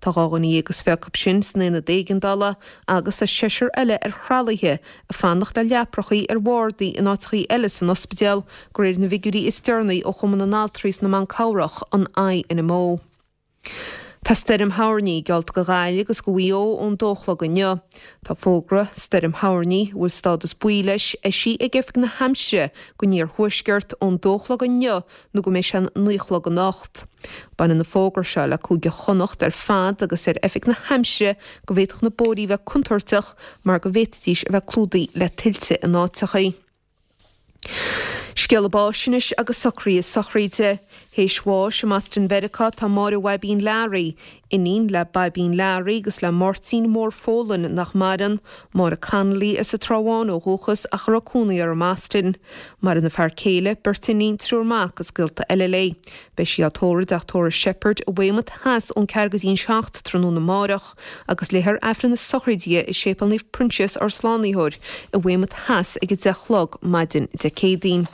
Tá 12 dhuine is fi acu sin san aonad éigeandála agus tá seisear eile ar thralaithe ag fanacht le leaprachaí ar bhardaí in áiteachaí eile san ospidéal, de réir na bhfigiúirí is deireanaí ó Chumann na nAltraí is na mBan Cabhrach, an INMO. Tá stoirm thoirní geallta do Ghaillimh agus do Mhaigh Eo ón dó a chlog inniu. Tá fógra stoirm thoirní, a bhfuil stádas buí leis, eisithe ag Oifig na hAimsire don iarthuaisceart ón dó a chlog inniu nó go mbeidh sé an 9 a chlog anocht. Baineann an fógra seo le Cúige Chonnacht ar fad agus deir Oifig na hAimsire go bhféadfadh na bóithrí a bheith contúirteach mar go bhféadfaidís a bheith clúdaithe le tuilte in áiteachaí. Scéala báis anois agus socruithe sochraide. Théis bháis i mBoston Mheiriceá tá Máire Bhaibín Learaí, iníon le Baibín Learaí agus le Máirtín Mór Folan nach maireann, Máire Connolly as an Trá Bháin ó dhúchas ach a raibh cónaí uirthi i mBoston. Maireann a fear céile, beirt iníon, triúr mac agus gaolta eile léi. Beidh sí á tórramh i dTeach Tórraimh Sheppard i Weymouth Theas ón ceathair go dtí an 7 tráthnóna amárach agus léifear Aifreann na sochraide di i Séipéal Naomh Proinsias Ár Slánaitheoir i Weymouth Theas ag 10 a chlog maidin Dé Céadaoin.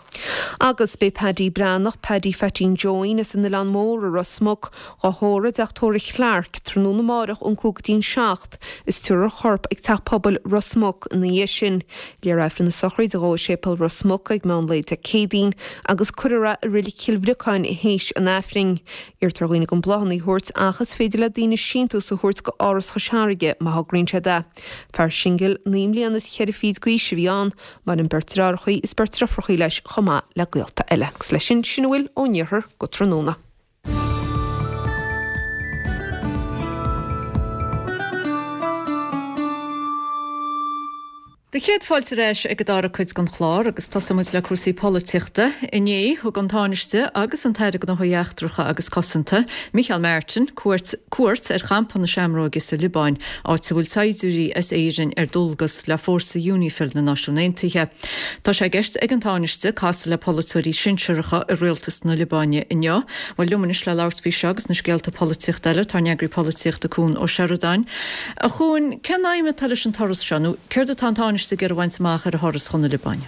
Agus beidh Paddy Breathnach, Paddy Pheaitín Joeín as an Oileán Mór i Ros Muc, á thórramh i dTeach Tórraimh Clarke tráthnóna amárach ón 5 go dtí an 7 is tabharfar a chorp ag Teach Pobail Ros Muc ina dhiaidh sin. Léifear Aifreann na sochraide dhó i Séipéal Ros Muc ag meán lae Dé Céadaoin agus cuirfear é i Reilig Chill Bhriocáin théis an Aifrinn. Iarrtar ar dhaoine gan bláthanna a thabhairt ach is féidir le daoine síntiús a thabhairt go Áras Chois Fharraige má thograíonn siad é. Fear singil 9 mbliana is cheithre fichid d'aois a bhí ann. Maireann beirt deartháireachaí is beirt deirfiúrachaí leis chomh maith le gaolta eile. Agus leis sin, sin a bhfuil ón iarthar go tráthnóna. Do chéad fáilte ar ais ag an dara cuid den chlár agus tosóidh muid le cúrsaí polaitíochta. Inné, thug an Tánaiste agus an tAire Gnóthaí Eachtracha agus Cosanta, Micheál Martin, cuairt cuairt ar champa na Seamróige sa Liobáin, áit a bhfuil saighdiúirí as Éirinn ar dualgas le fórsa Unifil na Náisiún Aontaithe. Tá sé i gceist ag an Tánaiste casadh le polaiteoirí sinsearacha i rialtas na Liobáine inniu. Bhuel, liom anois le labhairt faoi seo agus na scéalta polaitíochta eile, tá ár n-eagraí polaitíochta Cuan Ó Seireadáin. A Chuain, cén aidhm atá leis an turas seo, nó céard atá an Tánaiste ag iarraidh a bhaint amach ar a thuras chun na Liobáine?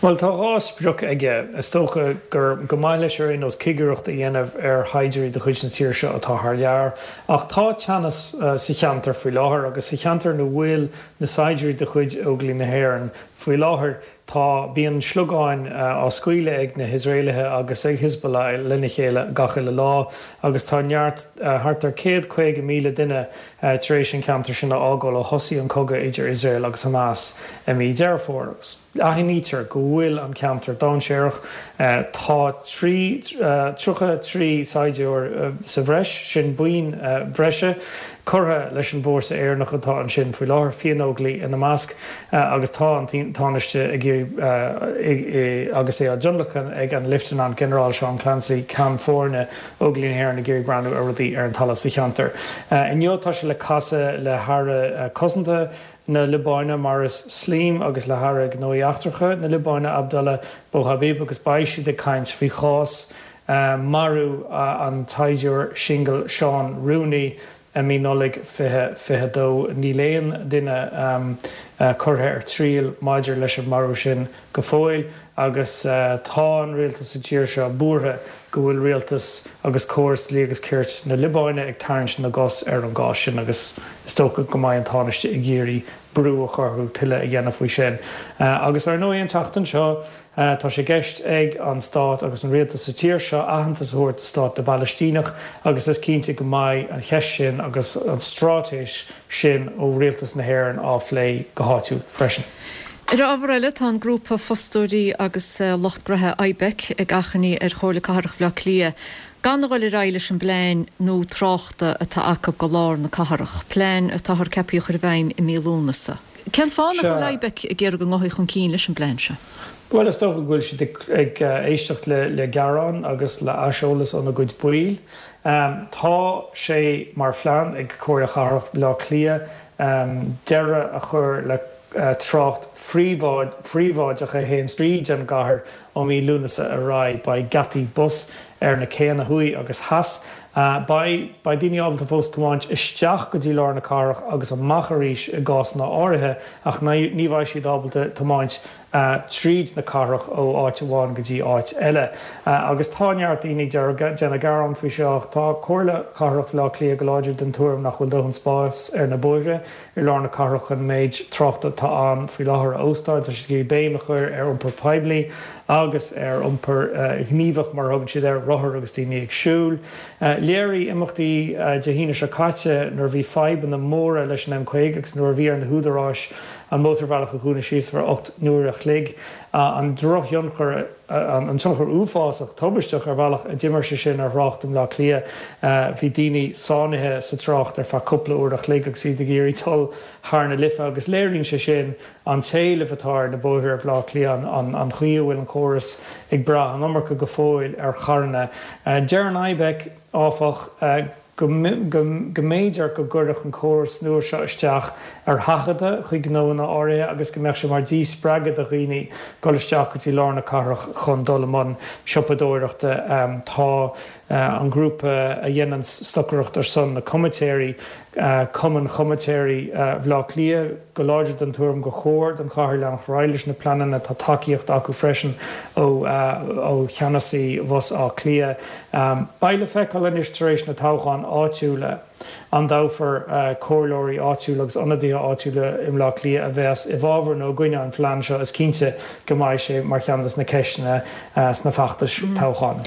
Bhuel, tá dhá sprioc aige. Is dócha gur go maith leis ar aon nós cigireacht a dhéanamh ar shaighdiúirí de chuid na tíre seo atá thar lear. Ach tá teannas sa cheantar faoi láthair agus sa cheantar ina bhfuil na saighdiúirí de chuid Óglaigh na hÉireann faoi láthair, Tá, bíonn sliogáin á scaoileadh ag na hIosraelaithe agus ag Hezbollah lena chéile gach uile lá agus tá neart, thart ar 150,000 duine tar éis an ceantar sin a fhágáil ó thosaigh an cogadh idir Iosrael agus Hamas i mí Deireadh Fómhair. Agus aithnítear go bhfuil an ceantar dainséarach. Tá 33 saighdiúir sa bhreis, sin buíon bhreise, curtha leis an bhfórsa Éireannach atá ansin faoi láthair, Fiannóglaigh ina measc. Agus tá an Tánaiste ag iarraidh, agus é á dtionlacan ag an Leifteanant-Ghinearál Seán Clancy, Ceann Foirne Óglaigh na hÉireann, ag iarraidh breathnú ar rudaí ar an talamh sa cheantar. Inniu tá sé le casadh le hAire Cosanta na Liobáine, Maurice Slim, agus le hAire Gnóthaí Eachtracha na Liobáine, Abdallah Bouhabib, agus beidh siad ag caint faoi chás marú an tsaighdiúir singil Seán Rooney, I mí Nollaig 2022, níl aon duine curtha ar triail maidir leis an marú sin go fóill agus tá an rialtas sa tír seo buartha go bhfuil rialtas agus córas dlí agus cirt na Liobáine ag tarraingt na gcos ar an gcás sin agus is dócha go mbeidh an Tánaiste ag iarraidh brú a chur orthu tuilleadh a dhéanamh faoi sin. Agus ar ndóigh an tseachtain seo, Tá sé i gceist ag an stát agus an rialtas sa tír seo aitheantas a thabhairt do stát na bPalaistíneach agus is cinnte go mbeidh an cheist sin agus an straitéis sin ó rialtas na hÉireann á phlé go háitiúil freisin. Ar ábhar eile, tá an grúpa fostóirí agus lucht gnoithe IBEC ag achainí ar Chomhairle Cathrach Bhaile Átha Cliath gan a dhul ar aghaidh leis an bplean nua tráchta atá acu do lár na cathrach, plean atáthar ceaptha a chur i bhfeidhm i mí Lúnasa. Cén fáth nach bhfuil IBEC ag iarraidh go ngabhfaí chun cinn leis an bplean seo? Bhuel, is dócha go bhfuil siad ag éisteacht le gearáin agus le haiseolas óna gcuid baill. Tá sé mar phlean ag Comhairle Chathrach Bhaile Átha Cliath deireadh a chur le trácht phríobháideach a théann tríd an gcathair Ó mhí Lúnasa ar aghaidh, beidh geataí bus ar na céanna thuaidh agus theas. Beidh beidh daoine ábalta fós tiomáint isteach go dtí lár na cathrach agus amach arís i gcásanna áirithe ach ní bheidh siad ábalta tiomáint tríd na cathrach ó áit amháin go dtí áit eile. Agus tá neart daoine ag déanamh gearán faoi seo ach tá Comhairle Cathrach Bhaile Átha Cliath go láidir den tuairim nach bhfuil dóthain spáis ar na bóithre i lár na cathrach chun an méid tráchta atá ann faoi láthair a óstáil. Tá siad ag iarraidh béim a chur ar iompar poiblí agus ar iompar gníomhach, mar a thugann siad air, rothair agus daoine ag siúl. Léirigh imeachtaí Dé hAoine seo caite nuair a bhí fadhbanna móra leis an M50 agus nuair a bhí ar na húdaráis an mótarbhealach a dhúnadh síos ar feadh 8 n-uair a chloig an drochthionchar a an tionchar uafásach, tubaisteach ar bhealach a d'imir sé sin ar thrácht i mBleá Cliath. Bhí daoine sáinnithe sa trácht ar feadh cúpla uair a chloig agus iad ag iarraidh dul thar na Life agus léiríonn sé sin an t-éileamh atá ar na bóithre ar Bhleá Cliath, an chaoi a bhfuil an córas ag brath an iomarca go fóill ar charranna. Deir an IBEC, áfach, go mb'fhéidir go gcuirfeadh an córas nua seo isteach ar sheachadadh chuig gnóanna áirithe agus go mbeadh sé mar dhíspreagadh do dhaoine dul isteach go dtí lár na cathrach chun dul i mbun siopadóireachta. Tá an grúpa a dhéanann stocaireacht ar son na comaitéirí, Cumann Chomaitéirí Bhaile Átha Cliath, go láidir den tuairim gur chóir don chathair leanacht ar aghaidh leis na pleananna. Tá tacaíocht acu freisin ó cheannasaí Bhus Átha Cliath. Beidh le feiceáil anois tar éis na toghcháin áitiúla an dtoghfar comhairleoirí áitiúla agus ionadaithe áitiúla i mBleá Cliath a bheas i bhfabhar nó i gcoinne an phlean seo. Is cinnte go mbeidh sé mar cheann des na ceisteanna sna feachtais toghcháin.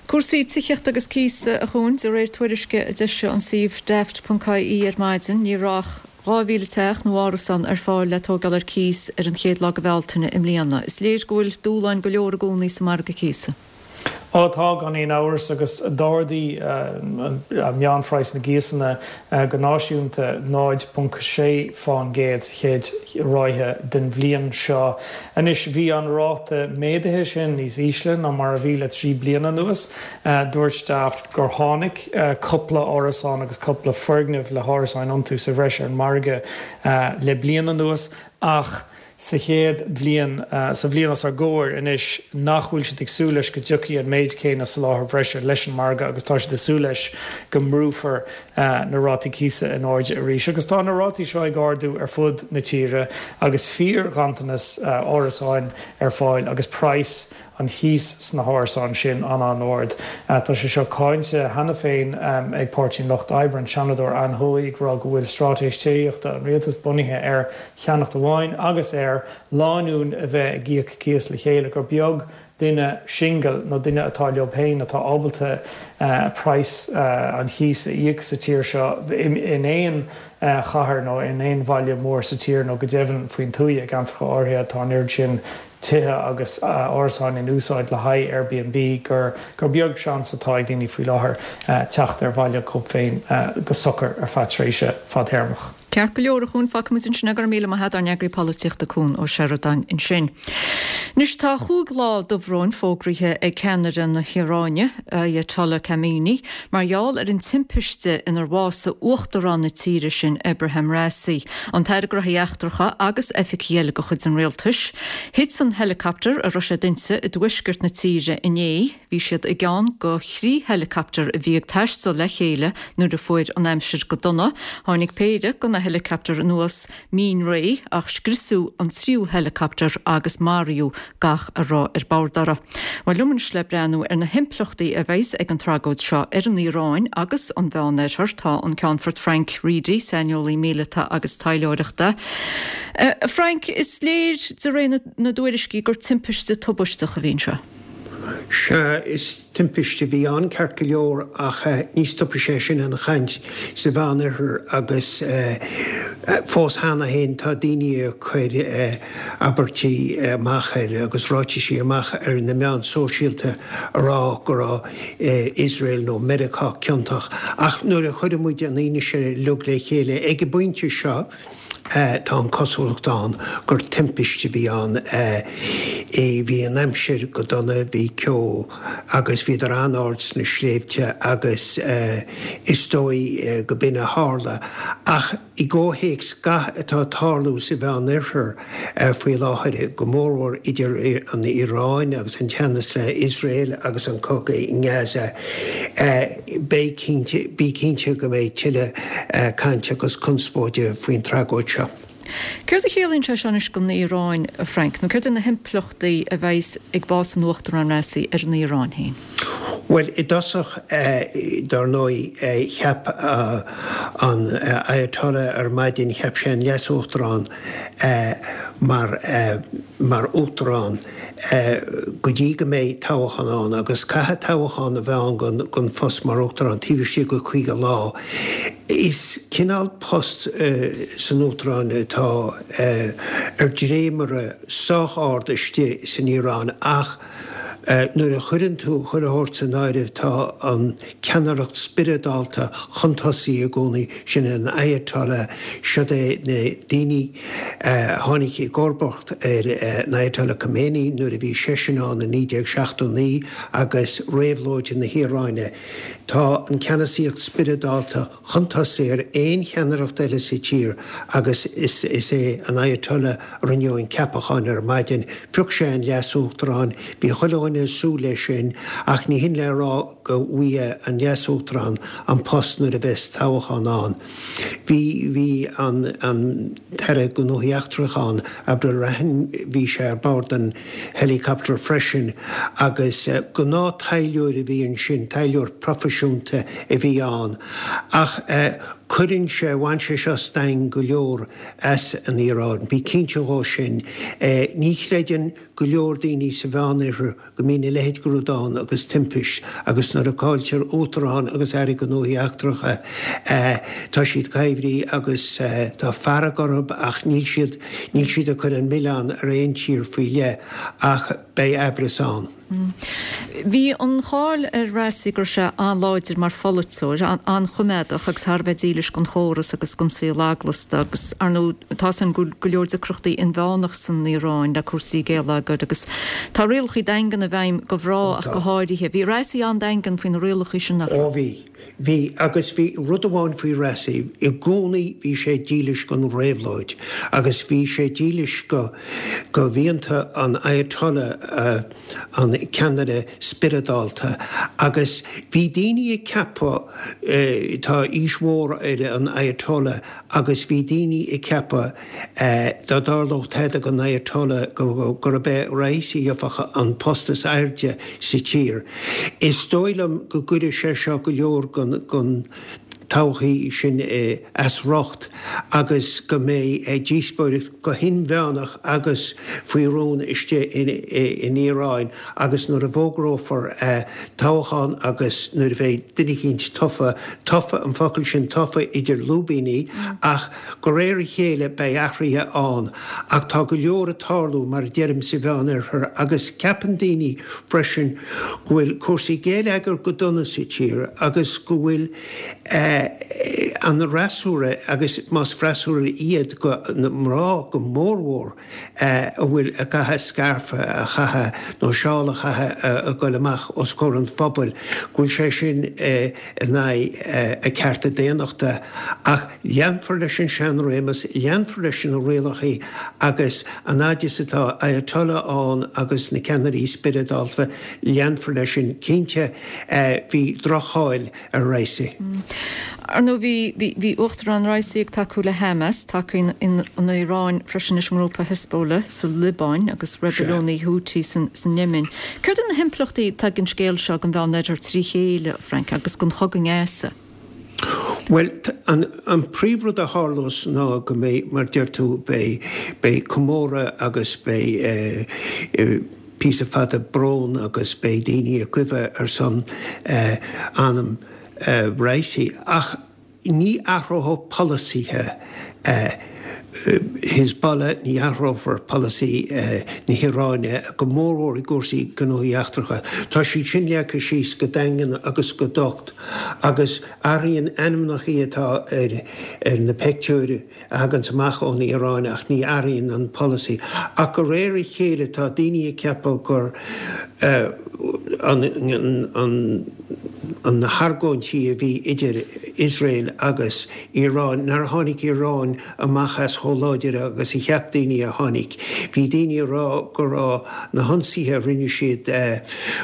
Cúrsaí tithíochta agus cíosa, a Chuain, de réir tuairisce a d'eisigh an suíomh Daft.ie ar maidin, ní raibh ach 2,000 teach nó árasán ar fáil le tógáil ar cíos ar an chéad lá de Bhealtaine i mbliana. Is léir go bhfuil dúshláin go leor i gcónaí sa margadh cíosa. Ó tá, gan aon amhras, agus d'ardaigh meánphraghas na gcíosanna go náisiúnta 0.6 fán gcéad sa chéad ráithe den bhliain seo. Anois, bhí an ráta méadaithe sin níos ísle ná mar a bhí le 3 bliana anuas. Dúirt Daft gur tháinig cúpla árasán agus cúpla foirgneamh le hárasáin iontu sa bhreis ar an margadh le bliain anuas ach sa chéad bhliain, sa bhliain os ár gcomhair anois, nach bhfuil siad ag súil leis go dtiocfaidh an méid céanna soláthair bhreise leis an margadh agus tá siad ag súil leis go mbrúfar na rátaí cíosa in airde arís. Agus tá na rátaí seo ag ardú ar fud na tíre agus fíorghanntanas árasáin ar fáil agus praghas an chíos sna hárasáin sin an-an-ard. Tá sé seo cáinte cheana féin ag Páirtí an Lucht Oibre, an Seanadóir Anne Hoey ag rá go bhfuil straitéis tithíochta an rialtais bunaithe ar cheannacht amháin agus ar lánúin a bheith ag íoc cíos le chéile, gur beag duine singil nó duine atá leo féin atá ábalta praghas an chíos a íoc sa tír seo in aon chathair nó in aon bhaile mór sa tír nó go deimhin faoin tuaith i gceantracha áirithe tá an oiread sin tithe agus árasáin in úsáid le haghaidh Airbnb gur gur beag seans atá ag daoine faoi láthair teacht ar bhaile dhóibh féin go socair ar feadh tréimhse fadtéarmach. Ceart go leor, a Chuain, fágfaidh muid ansin é. Go raibh míle maith agat, ár n-eagraí polaitíochta Cuan Ó Seireadáin ansin. Anois tá chúig lá dobhróin fógraithe ag ceannaire na hIaráine, Ayatollah Khamenei, mar gheall ar an timpiste inar bhásaigh uachtarán na tíre sin, Ebrahim Raisi, an tAire Gnóthaí Eachtracha agus oifigigh eile de chuid an rialtais. Thit an helicopter a raibh siad inti i dtuaisceart na tíre inné. Bhí siad i gceann de thrí heileacaptar a bhí ag taisteal le chéile nuair a fuair an aimsir go dona. Tháinig péire de na heileacaptair anuas mín réidh ach scriosadh an tríú heileacaptar agus maraíodh gach a raibh ar bord orthu. Bhuel, liom anois le breathnú ar na himpleachtaí a bheas ag an tragóid seo ar an Iaráin agus an Mheánoirthear tá an Ceannfort Frank Reidy, saineolaí míleata agus taidhleoireachta. A Frank, is léir de réir na dtuairiscí gur timpiste tubaisteach a bhí anseo. Sea, is timpiste a bhí ann, ceart go leor, ach ní stopfaidh sé sin an chaint sa Mheánoirthear agus fós cheana féin tá daoine ag cur abairtí amach ar agus ráitisí amach ar na meáin sóisialta a rá go raibh Iosrael nó Meiriceá ciontach. Ach nuair a chuireann muid an fhianaise uilig le chéile ag an bpointe seo, Tá an cosúlacht ann gur timpiste a bhí ann. Bhí an aimsir go dona, bhí ceo agus bhíodar an-ard sna sléibhte agus is dóigh go b'in a tharla. Ach i gcomhthéacs gach atá ag tarlú sa Mheánoirthear faoi láthair, go mórmhór idir an Iaráin agus an teannas le Iosrael agus an cogadh i nGaza, Beidh cinnte, bí cinnte go mbeidh tuilleadh cainte agus conspóide faoin tragóid seo. Céard a chiallaíonn sé seo anois don Iaráin, a Frank, nó céard iad na himpleachtaí a bheas ag bás an Uachtaráin Raisi ar an Iaráin féin? Bhuel, i dtosach, dar ndóigh, cheap an Ayatollah ar maidin, cheap sé an Leas-Uachtarán mar, mar Uachtarán. go dtí go mbeidh toghchán ann, agus caithfidh toghchán a bheith ann don phost mar Uachtarán taobh istigh de 50 lá. Is cineál post san Uachtarán atá ar dréimire sách ard istigh san Iaráin ach nuair a chuireann tú chuile shórt san áireamh tá an ceannaireacht spioradálta chun tosaigh i gcónaí, sin an Ayatollah, siod é na daoine a tháinig i gcomharbacht ar an Ayatollah Khomeini nuair a bhí seisean ann i 1979 agus réabhlóid na hIaráine. Tá an ceannasaíocht spioradálta chun tosaigh ar aon cheannaireacht eile sa tír agus is é an Ayatollah a rinne an ceapachán ar maidin. Phioc sé an leas-uachtarán, bhí chuile dhuine ag súil leis sin ach ní hin le rá go bhfaighidh an leas-uachtarán an post nuair a bheas toghchán ann. Bhí, bhí an, an tAire Gnóthaí Eachtracha ann, Abdolrahim, bhí sé ar bord an helicopter freisin agus gnáth taidhleoir a bhí ansin, taidhleoir proifisiúnta a bhí ann. Ach cuireann sé, bhain sé seo stangadh go leor as an Iaráin, bí cinnte dhó sin. Ní chreideann go leor daoine sa Mheánoirthear go mbíonn a leithéid de rud ann agus timpist agus nuair a cailltear Uachtarán agus Aire Gnóthaí Eachtracha tá siad coimhthí agus tá fearg orthu ach níl siad, níl siad ag cur an milleán ar aon tír faoi leith ach beidh aimhreas ann. Bhí an cháil ar Raisi go raibh sé an-láidir mar pholaiteoir, an-choimeádach agus thar a bheith dílis don chóras agus don saol eaglasta agus, ar ndóigh, tá 's againn go bhfuil go leor deacrachtaí inmheánach san Iaráin le cúrsaí géilleagair agus tá rialacha daingean i bhfeidhm do mhná ach go háirithe. Bhí Raisi an-daingean faoi na rialacha sin, nach raibh? Ó bhí. Bhí, agus bhí rud amháin faoi Raisi, i gcónaí bhí sé dílis don réabhlóid agus bhí sé dílis go, go mhianta an Ayatollah, an ceannaire spioradálta. Agus bhí daoine ag ceapadh, tá aois mhór ar an Ayatollah agus bhí daoine ag ceapadh, dá dtarlódh tada don Ayatollah gurb é Raisi a gheobhadh an post is airde sa tír. Is dóigh liom go gcuirfidh sé seo go leor den todhchaí sin as riocht agus go mbeidh díospóireacht go hinmheánach agus faoi rún istigh in Iaráin agus nuair a bhfógrófar toghchán agus nuair a bheidh duine eicínt tofa, tofa, an focal sin tofa idir lúibíní, ach De réir a chéile beidh athruithe ann, ach tá go leor ag tarlú, mar a deirim, sa Mheánoirthear agus ceapann daoine freisin go bhfuil cúrsaí géilleagair go dona sa tír agus go bhfuil an fhreasúra, agus más freasúra iad, na mná go mórmhór, a bhfuil ag caitheamh scairf a chaitheamh nó seál a chaitheamh ag goil amach os comhair an phobail, go bhfuil sé sin in aghaidh a cearta daonnachta. Ach leanfar leis an seanréimeas, leanfar leis na rialacha agus an fhaid is atá Ayatollah ann agus na ceannairí spioradálta, leanfar leis sin. Cinnte, bhí droch-cháil ar Raisi. Ar ndóigh, bhí, bhí Uachtarán Raisi ag tacú le Hamas, tacaíonn an Iaráin freisin leis an ngrúpa Hezbollah sa Liobáin agus reibiliúnaigh Houthi san Yemen. Céard iad na himpleachtaí atá ag an scéal seo don Mheánoirthear trí chéile, a Frank, agus don chogadh i nGaza? Bhuel, an príomhrud a tharlós ná go mbeidh, mar deir tú, beidh, beidh comóradh agus beidh píosa fada brón agus beidh daoine ag guibhe ar son anam Raisi. Ach ní athróidh polasaithe Hezbollah, ní athrófar polasaí na hIaráine, go mórmhór i gcúrsaí gnóthaí eachtracha. Tá siad sin leagtha síos go daingean agus go docht agus athraíonn ainmneacha atá ar na peictiúir a thaganns amach ón Iaráin ach ní athraíonn an polasaí. Ach de réir a chéile tá daoine ag ceapadh gur an na hargóintí a bhí idir Iosrael agus Iaráin, nár tháinig Iaráin amach as chomh láidir agus a cheap daoine a tháinig. Bhí daoine ag rá go raibh na hionsaithe a rinne siad,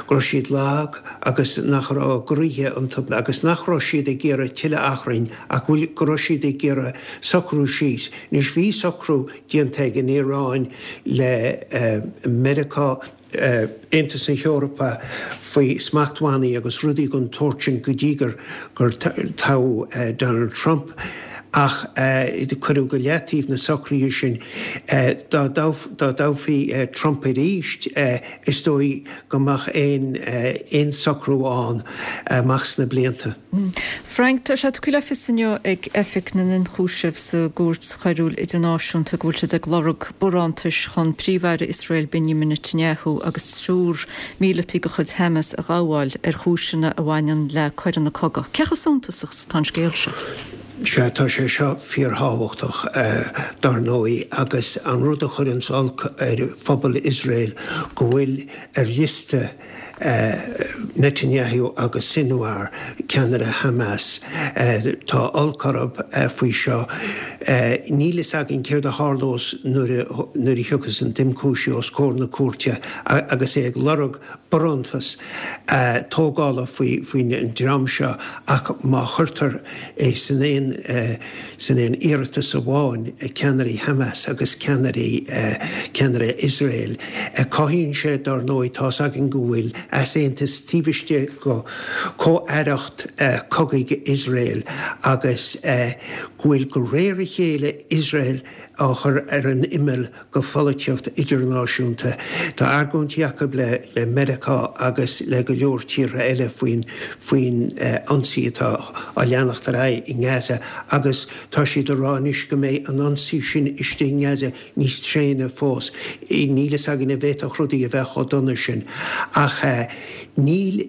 go raibh siad lag agus nach raibh a gcroíthe iontu agus nach raibh siad ag iarraidh tuilleadh achrainn ach go raibh siad ag iarraidh socrú síos. Anois bhí socrú déanta ag an Iaráin le Meiriceá, Aontas na hEorpa faoi smachtbhannaí agus rudaí den tsórt sin go dtí gur toghadh Donald Trump ach cuireadh go leataobh na socruithe sin. Dá dtoghfaí Trump arís is dóigh go mbeadh aon socrú ann amach sna blianta. Frank, Tá sé tugtha le fios inniu ag Oifig na nIonchúiseamh sa gCúirt Choiriúil Idirnáisiúnta go bhfuil siad ag lorg barántais chun Príomh-Aire Iosrael Benjamin Netanyahu agus triúr míleataí de chuid Hamas a ghabháil ar chúiseanna a bhaineann le coireanna cogaidh. Cé chomh suntasach is atá an scéal seo? Sea, tá sé seo fíorthábhachtach, dar ndóigh, agus an rud a chuireanns olc ar phobal Iosrael go bhfuil ar liosta Netanyahu agus Sinwar, ceannaire Hamas. Tá olc orthu faoi seo. Níl fhios againn céard a tharlós nuair a thiocfas an t-ionchúisí os comhair na cúirte agus é ag lorg barántas tógála faoin dream seo ach má chuirtear é san aon san aon iarratas amháin, ceannairí Hamas agus ceannairí ceannaire Iosrael. Cothaíonn sé, dár ndóigh, tá's againn go bhfuil easaontas taobh istigh de chomh-aireacht cogaidh Iosrael agus go bhfuil de réir a chéile Iosrael. á chur ar an imeall go pholaitíocht idirnáisiúnta. Tá argóintí acu le le Meiriceá agus le go leor tíortha eile faoin faoin ionsaí atá á leanacht ar aghaidh i nGaza agus tá siad ag rá anois go mbeidh an ionsaí sin istigh i nGaza níos tréine fós. Níl fhios againn an bhféadfadh rudaí a bheith chomh dona sin ach níl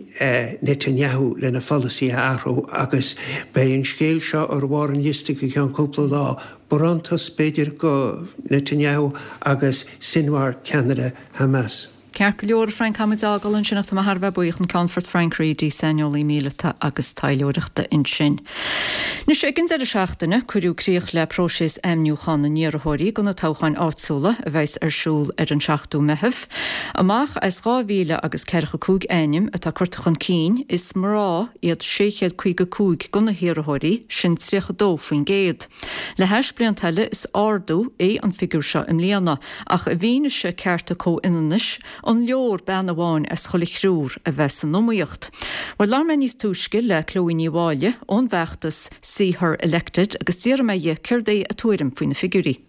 Netanyahu lena pholasaí a athrú agus beidh an scéal seo ar bharr an liosta go ceann cúpla lá. Barántas, b'fhéidir, go Netanyahu agus Sinwar, ceannaire Hamas. Ceart go leor, a Frank, caithfidh muid é a fhágáil ansin ach tá mé thar a bheith buíoch, an Ceannfort Frank Reidy, saineolaí míleata agus taidhleoireachta ansin. Anois, ag an deireadh seachtaine, cuireadh críoch le próiseas ainmniúcháin na n-iarrthóirí do na toghcháin áitiúla a bheas ar siúl ar an 7ú Meitheamh. Amach as 2,000 agus 45 ainm atá curtha chun cinn, is mná iad 655 de na hiarrthóirí, sin 32%. Le hais blianta eile, is ardú é an figiúr seo i mbliana, ach i bhfianaise cearta comhionannais, an leor bean amháin as chuile thriúr a bheith san iomaíocht? Bhuel, labhair mé níos túisce le Chloe Ní Mháille ón bhfeachtas See Her Elected agus d'fhiafraigh mé dhi céard é a tuairim faoi na figiúirí.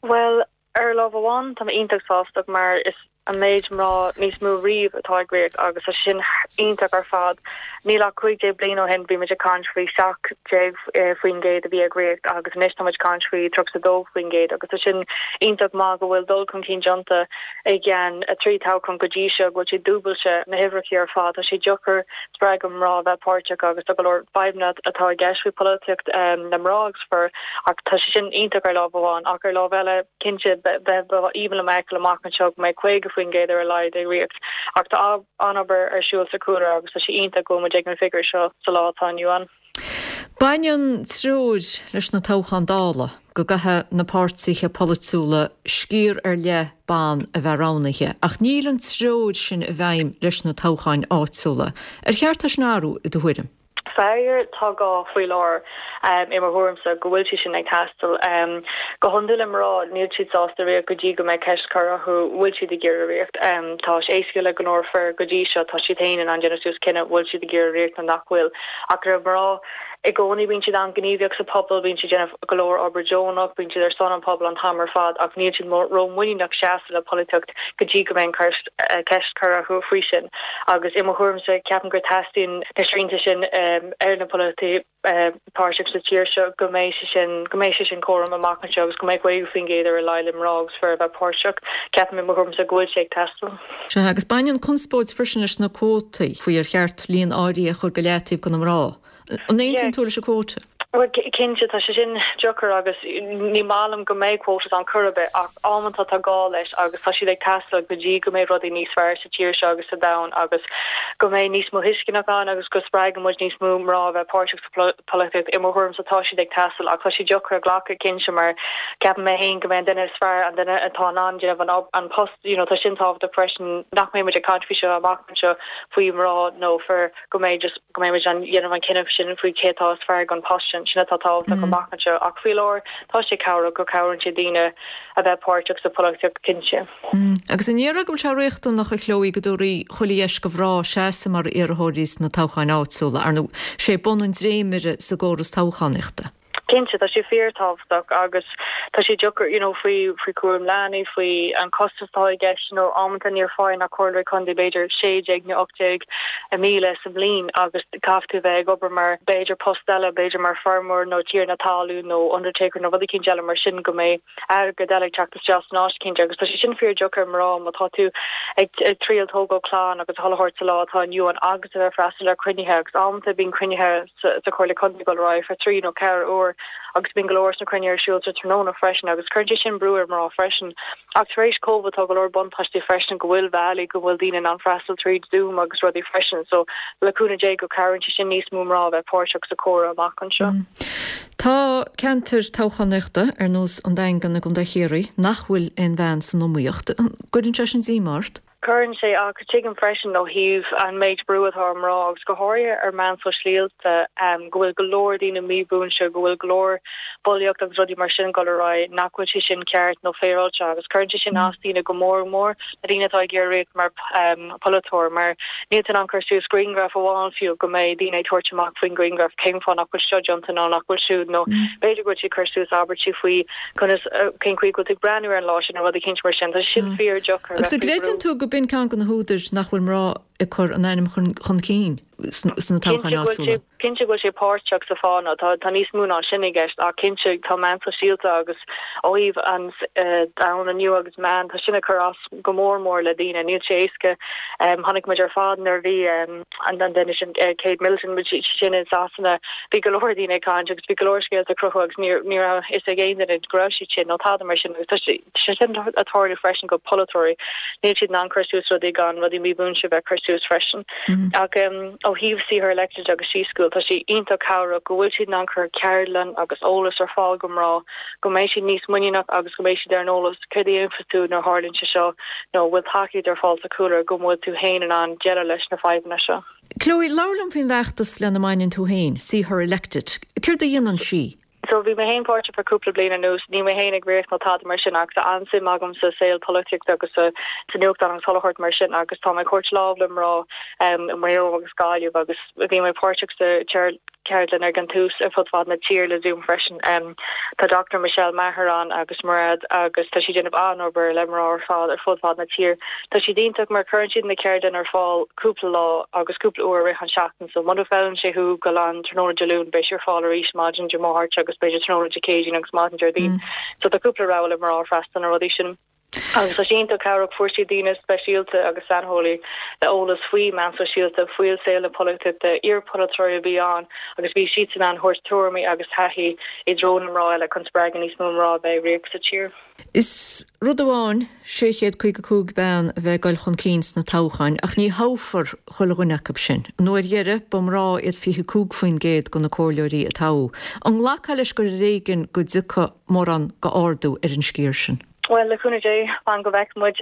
Bhuel, ar lámh amháin, tá mé iontach sásta mar is an méid mná níos mó riamh atá ag ríocht agus tá sin iontach ar fad. Níl ach 15 bliain ó shin bhí muid ag caint faoi 17% a bhí ag ríocht agus anois tá muid ag caint faoi 32% agus tá sin iontach maith go bhfuil dul chun cinn déanta i gceann 3 toghchán go dtí seo go bhfuil sé dúbailte na huimhreacha ar fad. Tá sé deacair spreagadh mná a bheith páirteach agus tá go leor fadhbanna atá i gceist faoi pholaitíocht na mná agus fir ach tá sé sin iontach ar lámh amháin ach ar lámh eile cinnte ba aoibhinn liom a fheiceáil amach anseo go mbeidh 50% ar a laghad ag ríocht ach tá an-obair ar siúl sa chúlra agus tá sé iontach go bhfuil muid ag an bhfigiúr seo sa lá atá inniu ann. Baineann treoir leis na toghcháin Dála go gcaithfidh na páirtithe polaitiúla sciar ar leith ban a bheith roghnaithe ach níl an treoir sin i bhfeidhm leis na toghcháin áitiúla. Ar cheart é sin a athrú i do thuairim? Faraor, tá gá faoi láthair, i mo thuairimse, go bhfuil sé sin ag teastáil. Go hiondúil le mná, níl siad sásta ríocht go dtí go mbeidh ceist curtha orthu bhfuil siad ag iarraidh ríocht. Tá sé éasca le go leor fir go dtí seo, tá siad féin in ann déanamh suas cinneadh bhfuil siad ag iarraidh ríocht nó nach bhfuil. Ach le mná, i gcónaí bíonn siad an-ghníomhach sa phobal, bíonn siad ag déanamh go leor obair deonach, bíonn siad ar son an pobail an t-am ar fad ach níl siad ró-mhuiníneach seasamh le polaitíocht go dtí go mbeidh an ceist curtha orthu faoi sin. Agus i mo thuairimse, ceapaim gur teastaíonn na srianta sin ar na polaiteoirí páirteach sa tír seo go mbeidh sé sin, go mbeidh sé sin córam amach anseo agus go mbeidh 50% ar a laghad le mná agus fir a bheith páirteach. Ceapaim i mo thuairimse go bhfuil sé ag teastáil. Sea, agus baineann conspóid freisin leis na cuótaí faoi ar cheart líon áirithe a chur go leataobh do na mná. An aontaíonn tú leis an quota? Bhuel, cinnte, tá sé sin deacair agus ní maith liom go mbeidh quotas ann chor ar bith ach amanta tá gá leis agus tá siad ag teastáil go dtí go mbeidh rudaí níos fearr sa tír seo agus sa domhan agus go mbeidh níos mó tuisceanach ann agus go spreagann muid níos mó mná a bheith páirteach sa pholaitíocht. I mo thuairimse tá siad ag teastáil ach tá sé deacair a ghlacadh cinnte mar ceapaim mé féin go mbeidh an duine is fearr an duine atá in ann déanamh an an post you know tá sin tábhachtach freisin nach mbeidh muid ag caint faoi seo amach anseo faoi mná nó fir go mbeidh just go mbeidh muid in ann dhéanamh an cinneadh sin faoi cé atá is fearr don post sin, sin atá tábhachtach amach anseo ach faoi láthair tá sé cabhrach go cabhraíonn sé daoine a bheith páirteach sa pholaitíocht cinnte. Agus an ndéarfá go bhfuil sé riachtanach a Chloe go dtabharfaí chuile dheis do mhná seasamh mar iarrthóirí sna toghcháin áitiúla, ar ndóigh, sé bun an dréimire sa gcóras toghchánaíochta? Cinnte, tá sé fíorthábhachtach agus tá sé deacair, you know, faoi, faoi chúram leanaí, faoi an costas atá i gceist, you know, amanta níor faigheann ach comhairleoirí contae b'fhéidir 16 nó 18,000 sa mbliain agus caithfidh tú bheith ag obair mar b'fhéidir post eile, b'fhéidir mar feirmeoir nó tiarna talún nó undertaker nó rud eicínt eile mar sin go mbeidh airgead eile ag teacht isteach san áit cinnte agus tá sé sin fíordheacair ar mná má tá tú ag triail tógáil clann agus a chuile shórt sa lá atá inniu ann agus a bheith freastal ar cruinnithe agus amanta bíonn cruinnithe sa Chomhairle Contae ag dul ar aghaidh for trí nó ceathair uair agus bíonn go leor sna cruinnithe ar siúl sa tráthnóna freisin agus cuireann sé sin brú ar mná freisin. Ach tar éis Covid tá go leor buntáistí freisin go bhfuil bealaí go bhfuil daoine in ann freastal tríd Zoom agus rudaí freisin so le cúnamh Dé go cabhraíonn sé sin níos mó mná a bheith páirteach sa chomhrá amach anseo. Tá ceantair toghchánaíochta ar nós an Daingean i gContae Chiarraí nach bhfuil aon bhean san iomaíocht. An gcuireann sé sin díomá ort? Cuireann sé, ach tuigim freisin ó thaobh an méid brú atá ar mná agus go háirithe ar meáin sóisialta go bhfuil go leor daoine mímhúinte, go bhfuil go leor bulaíocht agus rudaí mar sin ag dul ar aghaidh, nach bhfuil sé sin ceart nó féaráilte agus cuireann sé sin as daoine go mór mór, na daoine atá ag iarraidh rith mar pholaiteoir mar níl tú in ann cur suas grianghraf amháin fiú go mbeidh daoine ag tabhairt amach faoin ghrianghraf cén fáth nach bhfuil seo déanta nó nach bhfuil siúd nó b'fhéidir go bhfuil siad ag cur suas abairtí faoi conas cén chaoi go bhfuil tú ag breathnú ar an lá sin nó rud eicínt mar sin. Tá sé sin fíordheacair a Agus bheith an faoi gcreideann bhrú. tú go b'in ceann de na húdair nach bhfuil mná ag cur a n-ainm chun cinn sna toghcháin Cinnte go bhfuil sé áitiúla? cinnte go bhfuil sé páirteach sa fáth nó tá tá níos mó ná sin i gceist ach cinnte tá meáin sóisialta agus ó thaobh an domhan inniu agus meáin tá sin ag cur as go mór mór le daoine. Níl sé éasca. Chonaic muid ar fad nuair a bhí an duine sin Kate Middleton bhí sí sin i Sasana bhí go leor daoine ag caint agus bhí go leor scéalta ag cruthú agus ní ní raibh a fhios ag aon duine go raibh siad sin nó tada mar sin agus tá sé sin ag tarlú freisin go polaiteoirí níl siad in ann cur suas rudaí gan rudaí mímhúinte a bheith cur suas freisin. Ach ó thaobh See Her Elected agus She School tá sé iontach cabhrach go bhfuil siad in ann cur ceardlann agus eolas ar fáil go mná go mbeidh siad níos muiníneach agus go mbeidh siad ar an eolas céard a dhéanfas tú nuair a tharlaíonn sé seo nó an bhfuil tacaíocht ar fáil sa chúlra go bhfuil tú féin in ann déileáil leis na fadhbanna seo. Chloe, labhair liom faoin bhfeachtas lena mbaineann tú féin, See Her Elected. Céard a dhéanann sí? So bhí mé féin páirteach for cúpla bliain anuas, níl mé féin ag rith nó tada mar sin ach tá an-suim agam sa saol polaitíochta agus sa nuachtán agus chuile shórt mar sin agus tá mé ag tabhairt lámh le mná i Maigh Eo agus Gaillimh agus bhí mé páirteach sa ceardlann ag an tús ar fud fad na tíre le Zoom freisin. Tá Doctor Michelle Maher ann agus Mairead agus tá siad ag déanamh an-obair le mná ar fad ar fud fad na tíre. Tá siad iontach mar cuireann siad na ceardlann ar fáil cúpla lá agus cúpla uair i rith an seachtain so muna bhfeileann sé thú go an tráthnóna Dé Luain beidh sé ar fáil arís maidin Dé Máirt agus b'fhéidir tráthnóna Dé Céadaoin agus maidin Déardaoin. So tá cúpla rogha le mná freastal na rudaí sin. Agus tá sé iontach cabhrach, fuair siad daoine speisialta agus saineolaí le eolas faoi meáin sóisialta, faoi saol na polaitíochta, iar-pholaiteoirí a bhí ann agus bhí siadsan in ann thabhairt tuairimí agus taithí i dtreo na mná eile chun spreagadh níos mó mná a bheith ag rith sa tír. Is rud amháin 655 bean a bheith ag dul chun cinn sna toghcháin ach ní thoghfar chuile dhuine acu sin. An uair dheiridh, ba mná iad 25% de na comhairleoirí a toghadh. An nglacfá leis gur ar éigean go dtiocfaidh mórán d'ardú ar an sciar sin? Bhuel, le cúnamh Dé, fan go bhfeicfidh muid.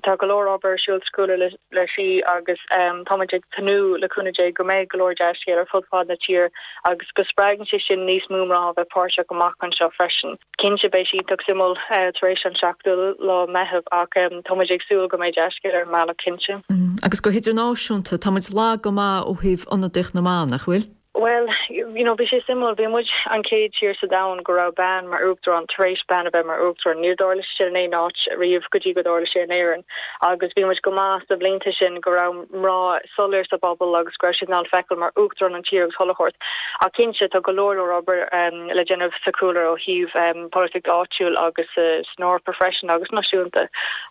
Tá go leor obair ar siúl sa chúlra le Sí agus tá muid ag tnúth, le cúnamh Dé, go mbeidh go leor dea-scéal ar fud fad na tíre agus go spreagann sé sin níos mó mná a bheith páirteach amach anseo freisin. Cinnte, beidh sé iontach suimiúil tar éis an seachtú lá Meitheamh ach tá muid ag súil go mbeidh dea-scéal ar an mbealach, cinnte. Agus go hidirnáisiúnta, tá muid lag go maith ó thaobh ionadaíocht na mban, nach bhfuil? Bhuel, you know, bhí sé suimiúil, bhí muid an chéad tír sa domhan go raibh bean mar uachtarán tar éis bean a bheith mar uachtarán. Níor tharla sé sin in aon áit riamh go dtí go dtarla sé in Éirinn. Agus bhí muid go maith sna blianta sin go raibh mná soiléir sa bpobal agus go raibh siad in ann feiceáil mar uachtarán an tír agus chuile shórt. Ach cinnte, tá go leor leor obair le déanamh sa chúlra ó thaobh polaitíocht áitiúil agus san Eoraip freisin agus náisiúnta.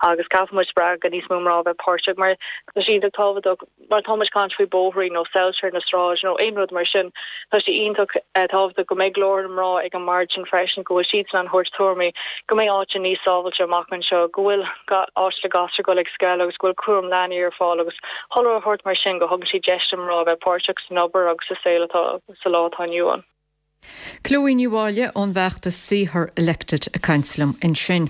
Agus caithfidh muid spreagadh níos mó mná a bheith páirteach mar tá sé iontach tábhachtach. Mar tá muid ag caint faoi bóithrí nó soilse ar na sráid nó aon rud mar sin, tá sé iontach tábhachtach go mbeidh glór na mná ag an mbord sin freisin, go bhfuil siadsan in ann thabhairt tuairimí, go mbeidh áiteanna níos sábhailte amach anseo, go bhfuil áit le gasúir dul ag scoil agus go bhfuil cúram leanaí ar fáil agus chuile shórt mar sin, go thugann sé deis do mná a bheith páirteach san obair agus sa saol atá sa lá atá inniu ann. Chloe Ní Mháille ón bhfeachtas See Her Elected ag caint liom ansin.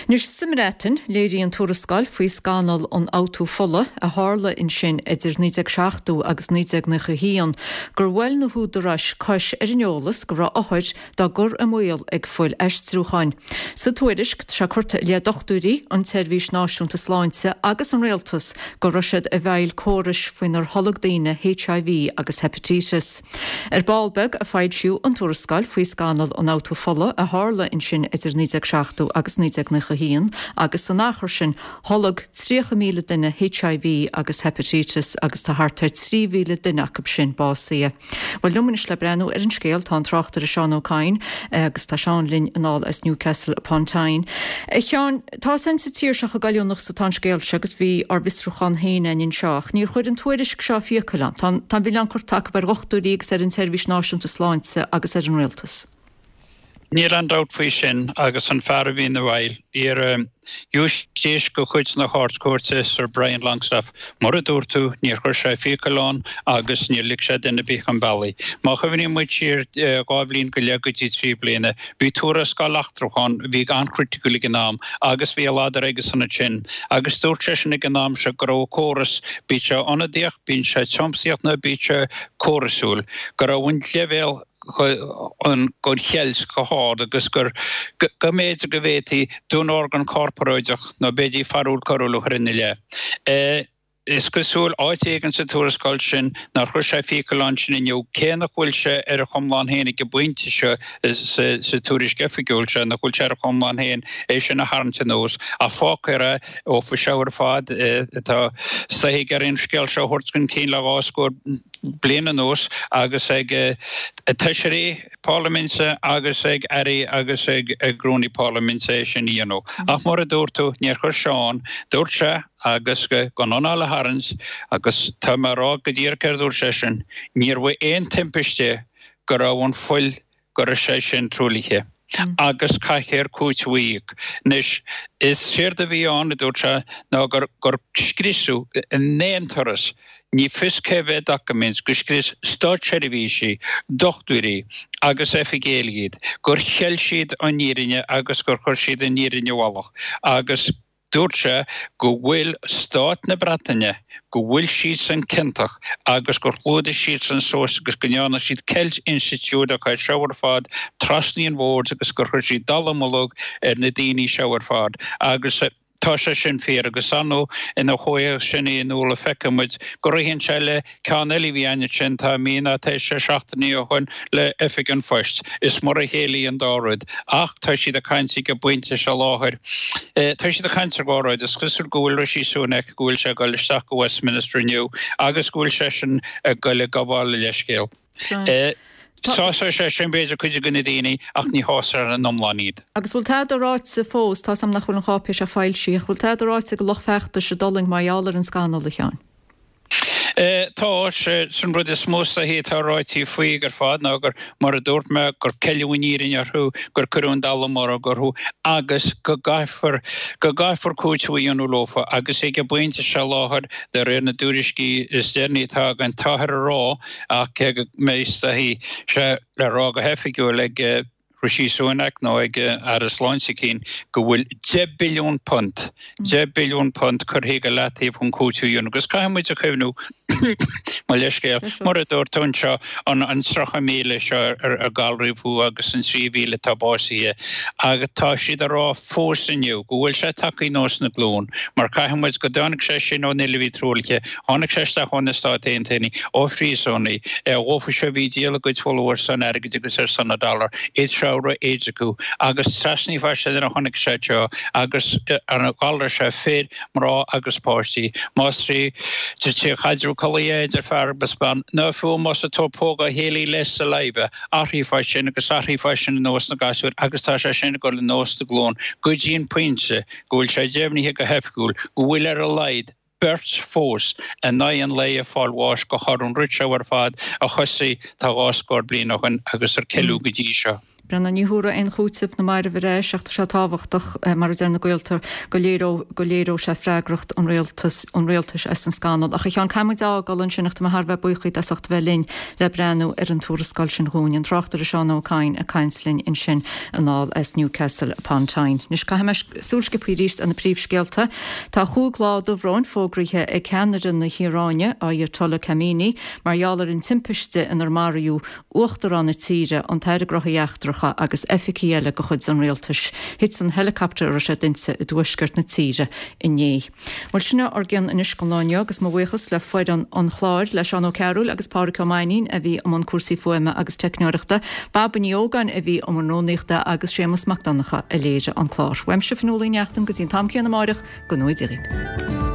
Anois, sa mBreatain, léiríonn tuarascáil faoi scannal an fhabhtú fola a tharla ansin idir 1970 agus 1991 gur bhuail na húdaráis cois ar an eolas go raibh othair dá gcur i mbaol ag fuil-aistriúcháin. Sa tuairisc, tá sé curtha i leith dochtúirí, an tSeirbhís Náisiúnta Sláinte agus an Rialtas go raibh siad i bhfeighil córais faoinar tholg daoine HIV agus heipitíteas. Ar ball beag a foilsíodh an tuarascáil faoi scannal an fhabhtú fola a tharla ansin idir 1970 agus 1991 agus san achar sin tholg 30,000 duine HIV agus heipitíteas agus tá thart ar 3,000 duine acu sin básaithe. Bhuel, liom anois le breathnú ar an scéal tá an tráchtaire Seán Ó Cadhain agus tá Seán linn anall as Newcastle upon Tyne. A Sheáin, Tá fhios a'inn sa tír seo chomh goilliúnach is atá an scéal seo agus bhí ár bhfiosrúchán féin a'inn anseo ach níor chuir an tuairisc seo fiacail ann. Tá an milleán curtha acu ar dhochtúirí agus ar an tSeirbhís Náisiúnta Sláinte agus ar an Rialtas. Níl aon dabht faoi sin agus an fear a bhí ina bhfeighil, iar Ghiúistís de chuid na hArd-Chúirte, Sir Brian Longstaff, mar a dúirt tú, níor chuir sé fiacail ann agus níor lig sé duine ar bith chun bealaigh. Má chuimhníonn muid siar 2 bhliain go leith go dtí 3 bliana, bhí tuarascáil eachtrach ann a bhí an-chriticiúil ag an am agus bhí a ladar aigesan ansin agus dúirt seisean ag an am seo go raibh an córas, bíodh sé ionadaíoch, bíodh sé tiomsaíoch nó bíodh sé córasúil, go raibh an leibhéal den cheilt go hard agus gur go mb'fhéidir go bhféadfaí dúnorgain corparáideach nó b'fhéidir fearúil coiriúil a chur ina leith. Is cosúil áit éigin sa tuarascáil sin nár chuir sé fiacail ann sin inniu, cé nach bhfuil sé ar a chomlán féin ag an bpointe seo sa tuairisc oifigiúil seo, nach bhfuil sé ar a chomlán féin é sin a tharraingt anuas, ach fágfar é ó faoi seo ar fad. Tá saith ag iarraidh an scéal seo a thabhairt chun cinn le 2 scór bliain anuas agus ag feisirí parlaiminte agus ag airí agus ag rúnaí parlaiminte é sin a dhéanamh. Ach mar a dúirt tú, níor chuir sé ann. Dúirt sé, agus gan anáil a tharraingt, agus tá mé a rá go díreach céard a dúirt seisean, níorbh aon timpiste go raibh an fuil go raibh sé sin truaillithe agus caithfear cúiteamh a íoc. Anois, is éard a bhí ann, a dúirt sé, ná gur gur scriosadh in aon turas, ní fios cé mhéad doiciméad, gur scrios státseirbhísigh, dochtúirí agus oifigigh eile iad, gur cheil siad an fhírinne agus gur chuir siad an fhírinne i bhfolach agus Dúirt sé go bhfuil stát na Breataine, go bhfuil siadsan ciontach agus gur chlúdaigh siadsan suas agus go ndearna siad ceilt institiúideach air seo ar fad trasna an bhoird agus gur chuir siad dallamullóg ar na daoine seo ar fad agus tá sé sin fíor agus ar ndóigh ina chomhthéacs sin a Fhionnuala feicfidh muid go ritheann sé le Ceann eile a bhí ann ansin, tá mí ná tá sé seachtainí ó shoin le Oifig an Phoist. Is mar a chéile í an dá rud. Ach tá siad ag caint ag an bpointe seo láthair. Tá siad ag caint ar dhá rud. Is cosúil go bhfuil Rishi Sunak, go bhfuil sé ag dul isteach go Westminster inniu agus go bhfuil seisean ag dul ag gabháil a leithscéal. Sásóidh sé sin b'fhéidir cuid de na daoine ach ní shásóidh ar an iomlán iad. Agus bhfuil tada ráite fós, tá's a'm nach bhfuil an cháipéis seo foilsithe, ach bhfuil tada ráite ag an lucht feachtais i dTulaing mar gheall ar an scannal, a Sheáin? Tá, sé an rud is mó is dóichí atá ráite faoi ar fad ná gur, mar a dúirt mé, gur ceileadh an fhírinne orthu, gur cuireadh an dallamullóg orthu agus go gcaithfear, go gcaithfear cúiteamh a dhéanamh leofa agus ag an bpointe seo láthair, de réir na dtuairiscí is deireanaí atá againn, táthar a rá, ach cé go mbeidh is dóichí sé le rá go hoifigiúil ag Rishi Sunak nó ag Aire Sláinte eicínt go bhfuil £10 billiún, £10 billiún curtha go leataobh chun cúiteamh a dhéanamh. Agus caithfidh muid a chuimhniú, mo leithscéal, mar a dúirt tú anseo, an 30,000 seo ar galraíodh agus an 3,000 atá básaithe agus tá siad a rá fós inniu go bhfuil sé tagtha anuas na glún mar caithfidh muid go dtáinig sé sin ón fhuil a bhí truaillithe, tháinig sé isteach ó na Stáit Aontaithe, ó phríosúnaigh, dhófa seo a bhí ag díol a gcuid fola ar son airgid agus ar son an dollar, iad seo a raibh AIDS acu agus trasna fá sin nuair a tháinig sé seo agus an galar seo fir, mná agus páistí, más trí chaidreamh collaí é idir fear agus bean nó fiú más ag tabhairt póg dá chéile le saliva, athraíonn fá sin agus athraíonn fá sin ar nós na gasúir agus tá sé sin ag dul anuas na glún go dtí an pointe go bhfuil sé deimhnithe go hoifigiúil go bhfuil ar a laghad beirt fós in aghaidh an lae ag fáil bháis de thoradh an rud seo ar fad a thosaigh tá 2 scór bliain ó shin agus ar ceileadh go dtí seo. Breandán, ní thabharfaidh aon chúiteamh na mairbh ar ais ach tá sé tábhachtach, mar a deir na gaolta, go léireodh go léireodh sé freagracht an rialtas an rialtais as an scannal. Ach a Sheáin, caithfidh muid a fhágáil ansin ach tá mé thar a bheith buíoch díot as ucht a bheith linn le breathnú ar an tuarascáil sin dhúinn. An tráchtaire Seán Ó Cadhain ag caint linn ansin anall as Newcastle upon Tyne. Anois caithfidh mé súil sciobtha arís ar na príomhscéalta. Tá chúig lá dobhróin fógraithe ag ceannaire na hIaráine, Ayatollah Khamenei, mar gheall ar an timpiste inar maraíodh Uachtarán na tíre, an tAire Gnóthaí Eachtracha agus oifigigh eile de chuid an rialtais. Thit an helicopter a raibh siad inti i dtuaisceart na tíre inné. Bhuel, sin ár gcion anois don lá inniu agus mo bhuíochas le foireann an chláir, le Seán Ó Cearúil agus Pádhraic Ó Mainnín a bhí i mbun cúrsaí fuaime agus teicneoireachta, Baba Ní Ógáin a bhí i mbun rúnaíochta agus Séamus Mac Donncha a léirigh an clár. Uaimse Fionnuala Ní Neachtain go dtí an t-am céanna amáireach, go ngnóthaí Dia dhaoibh.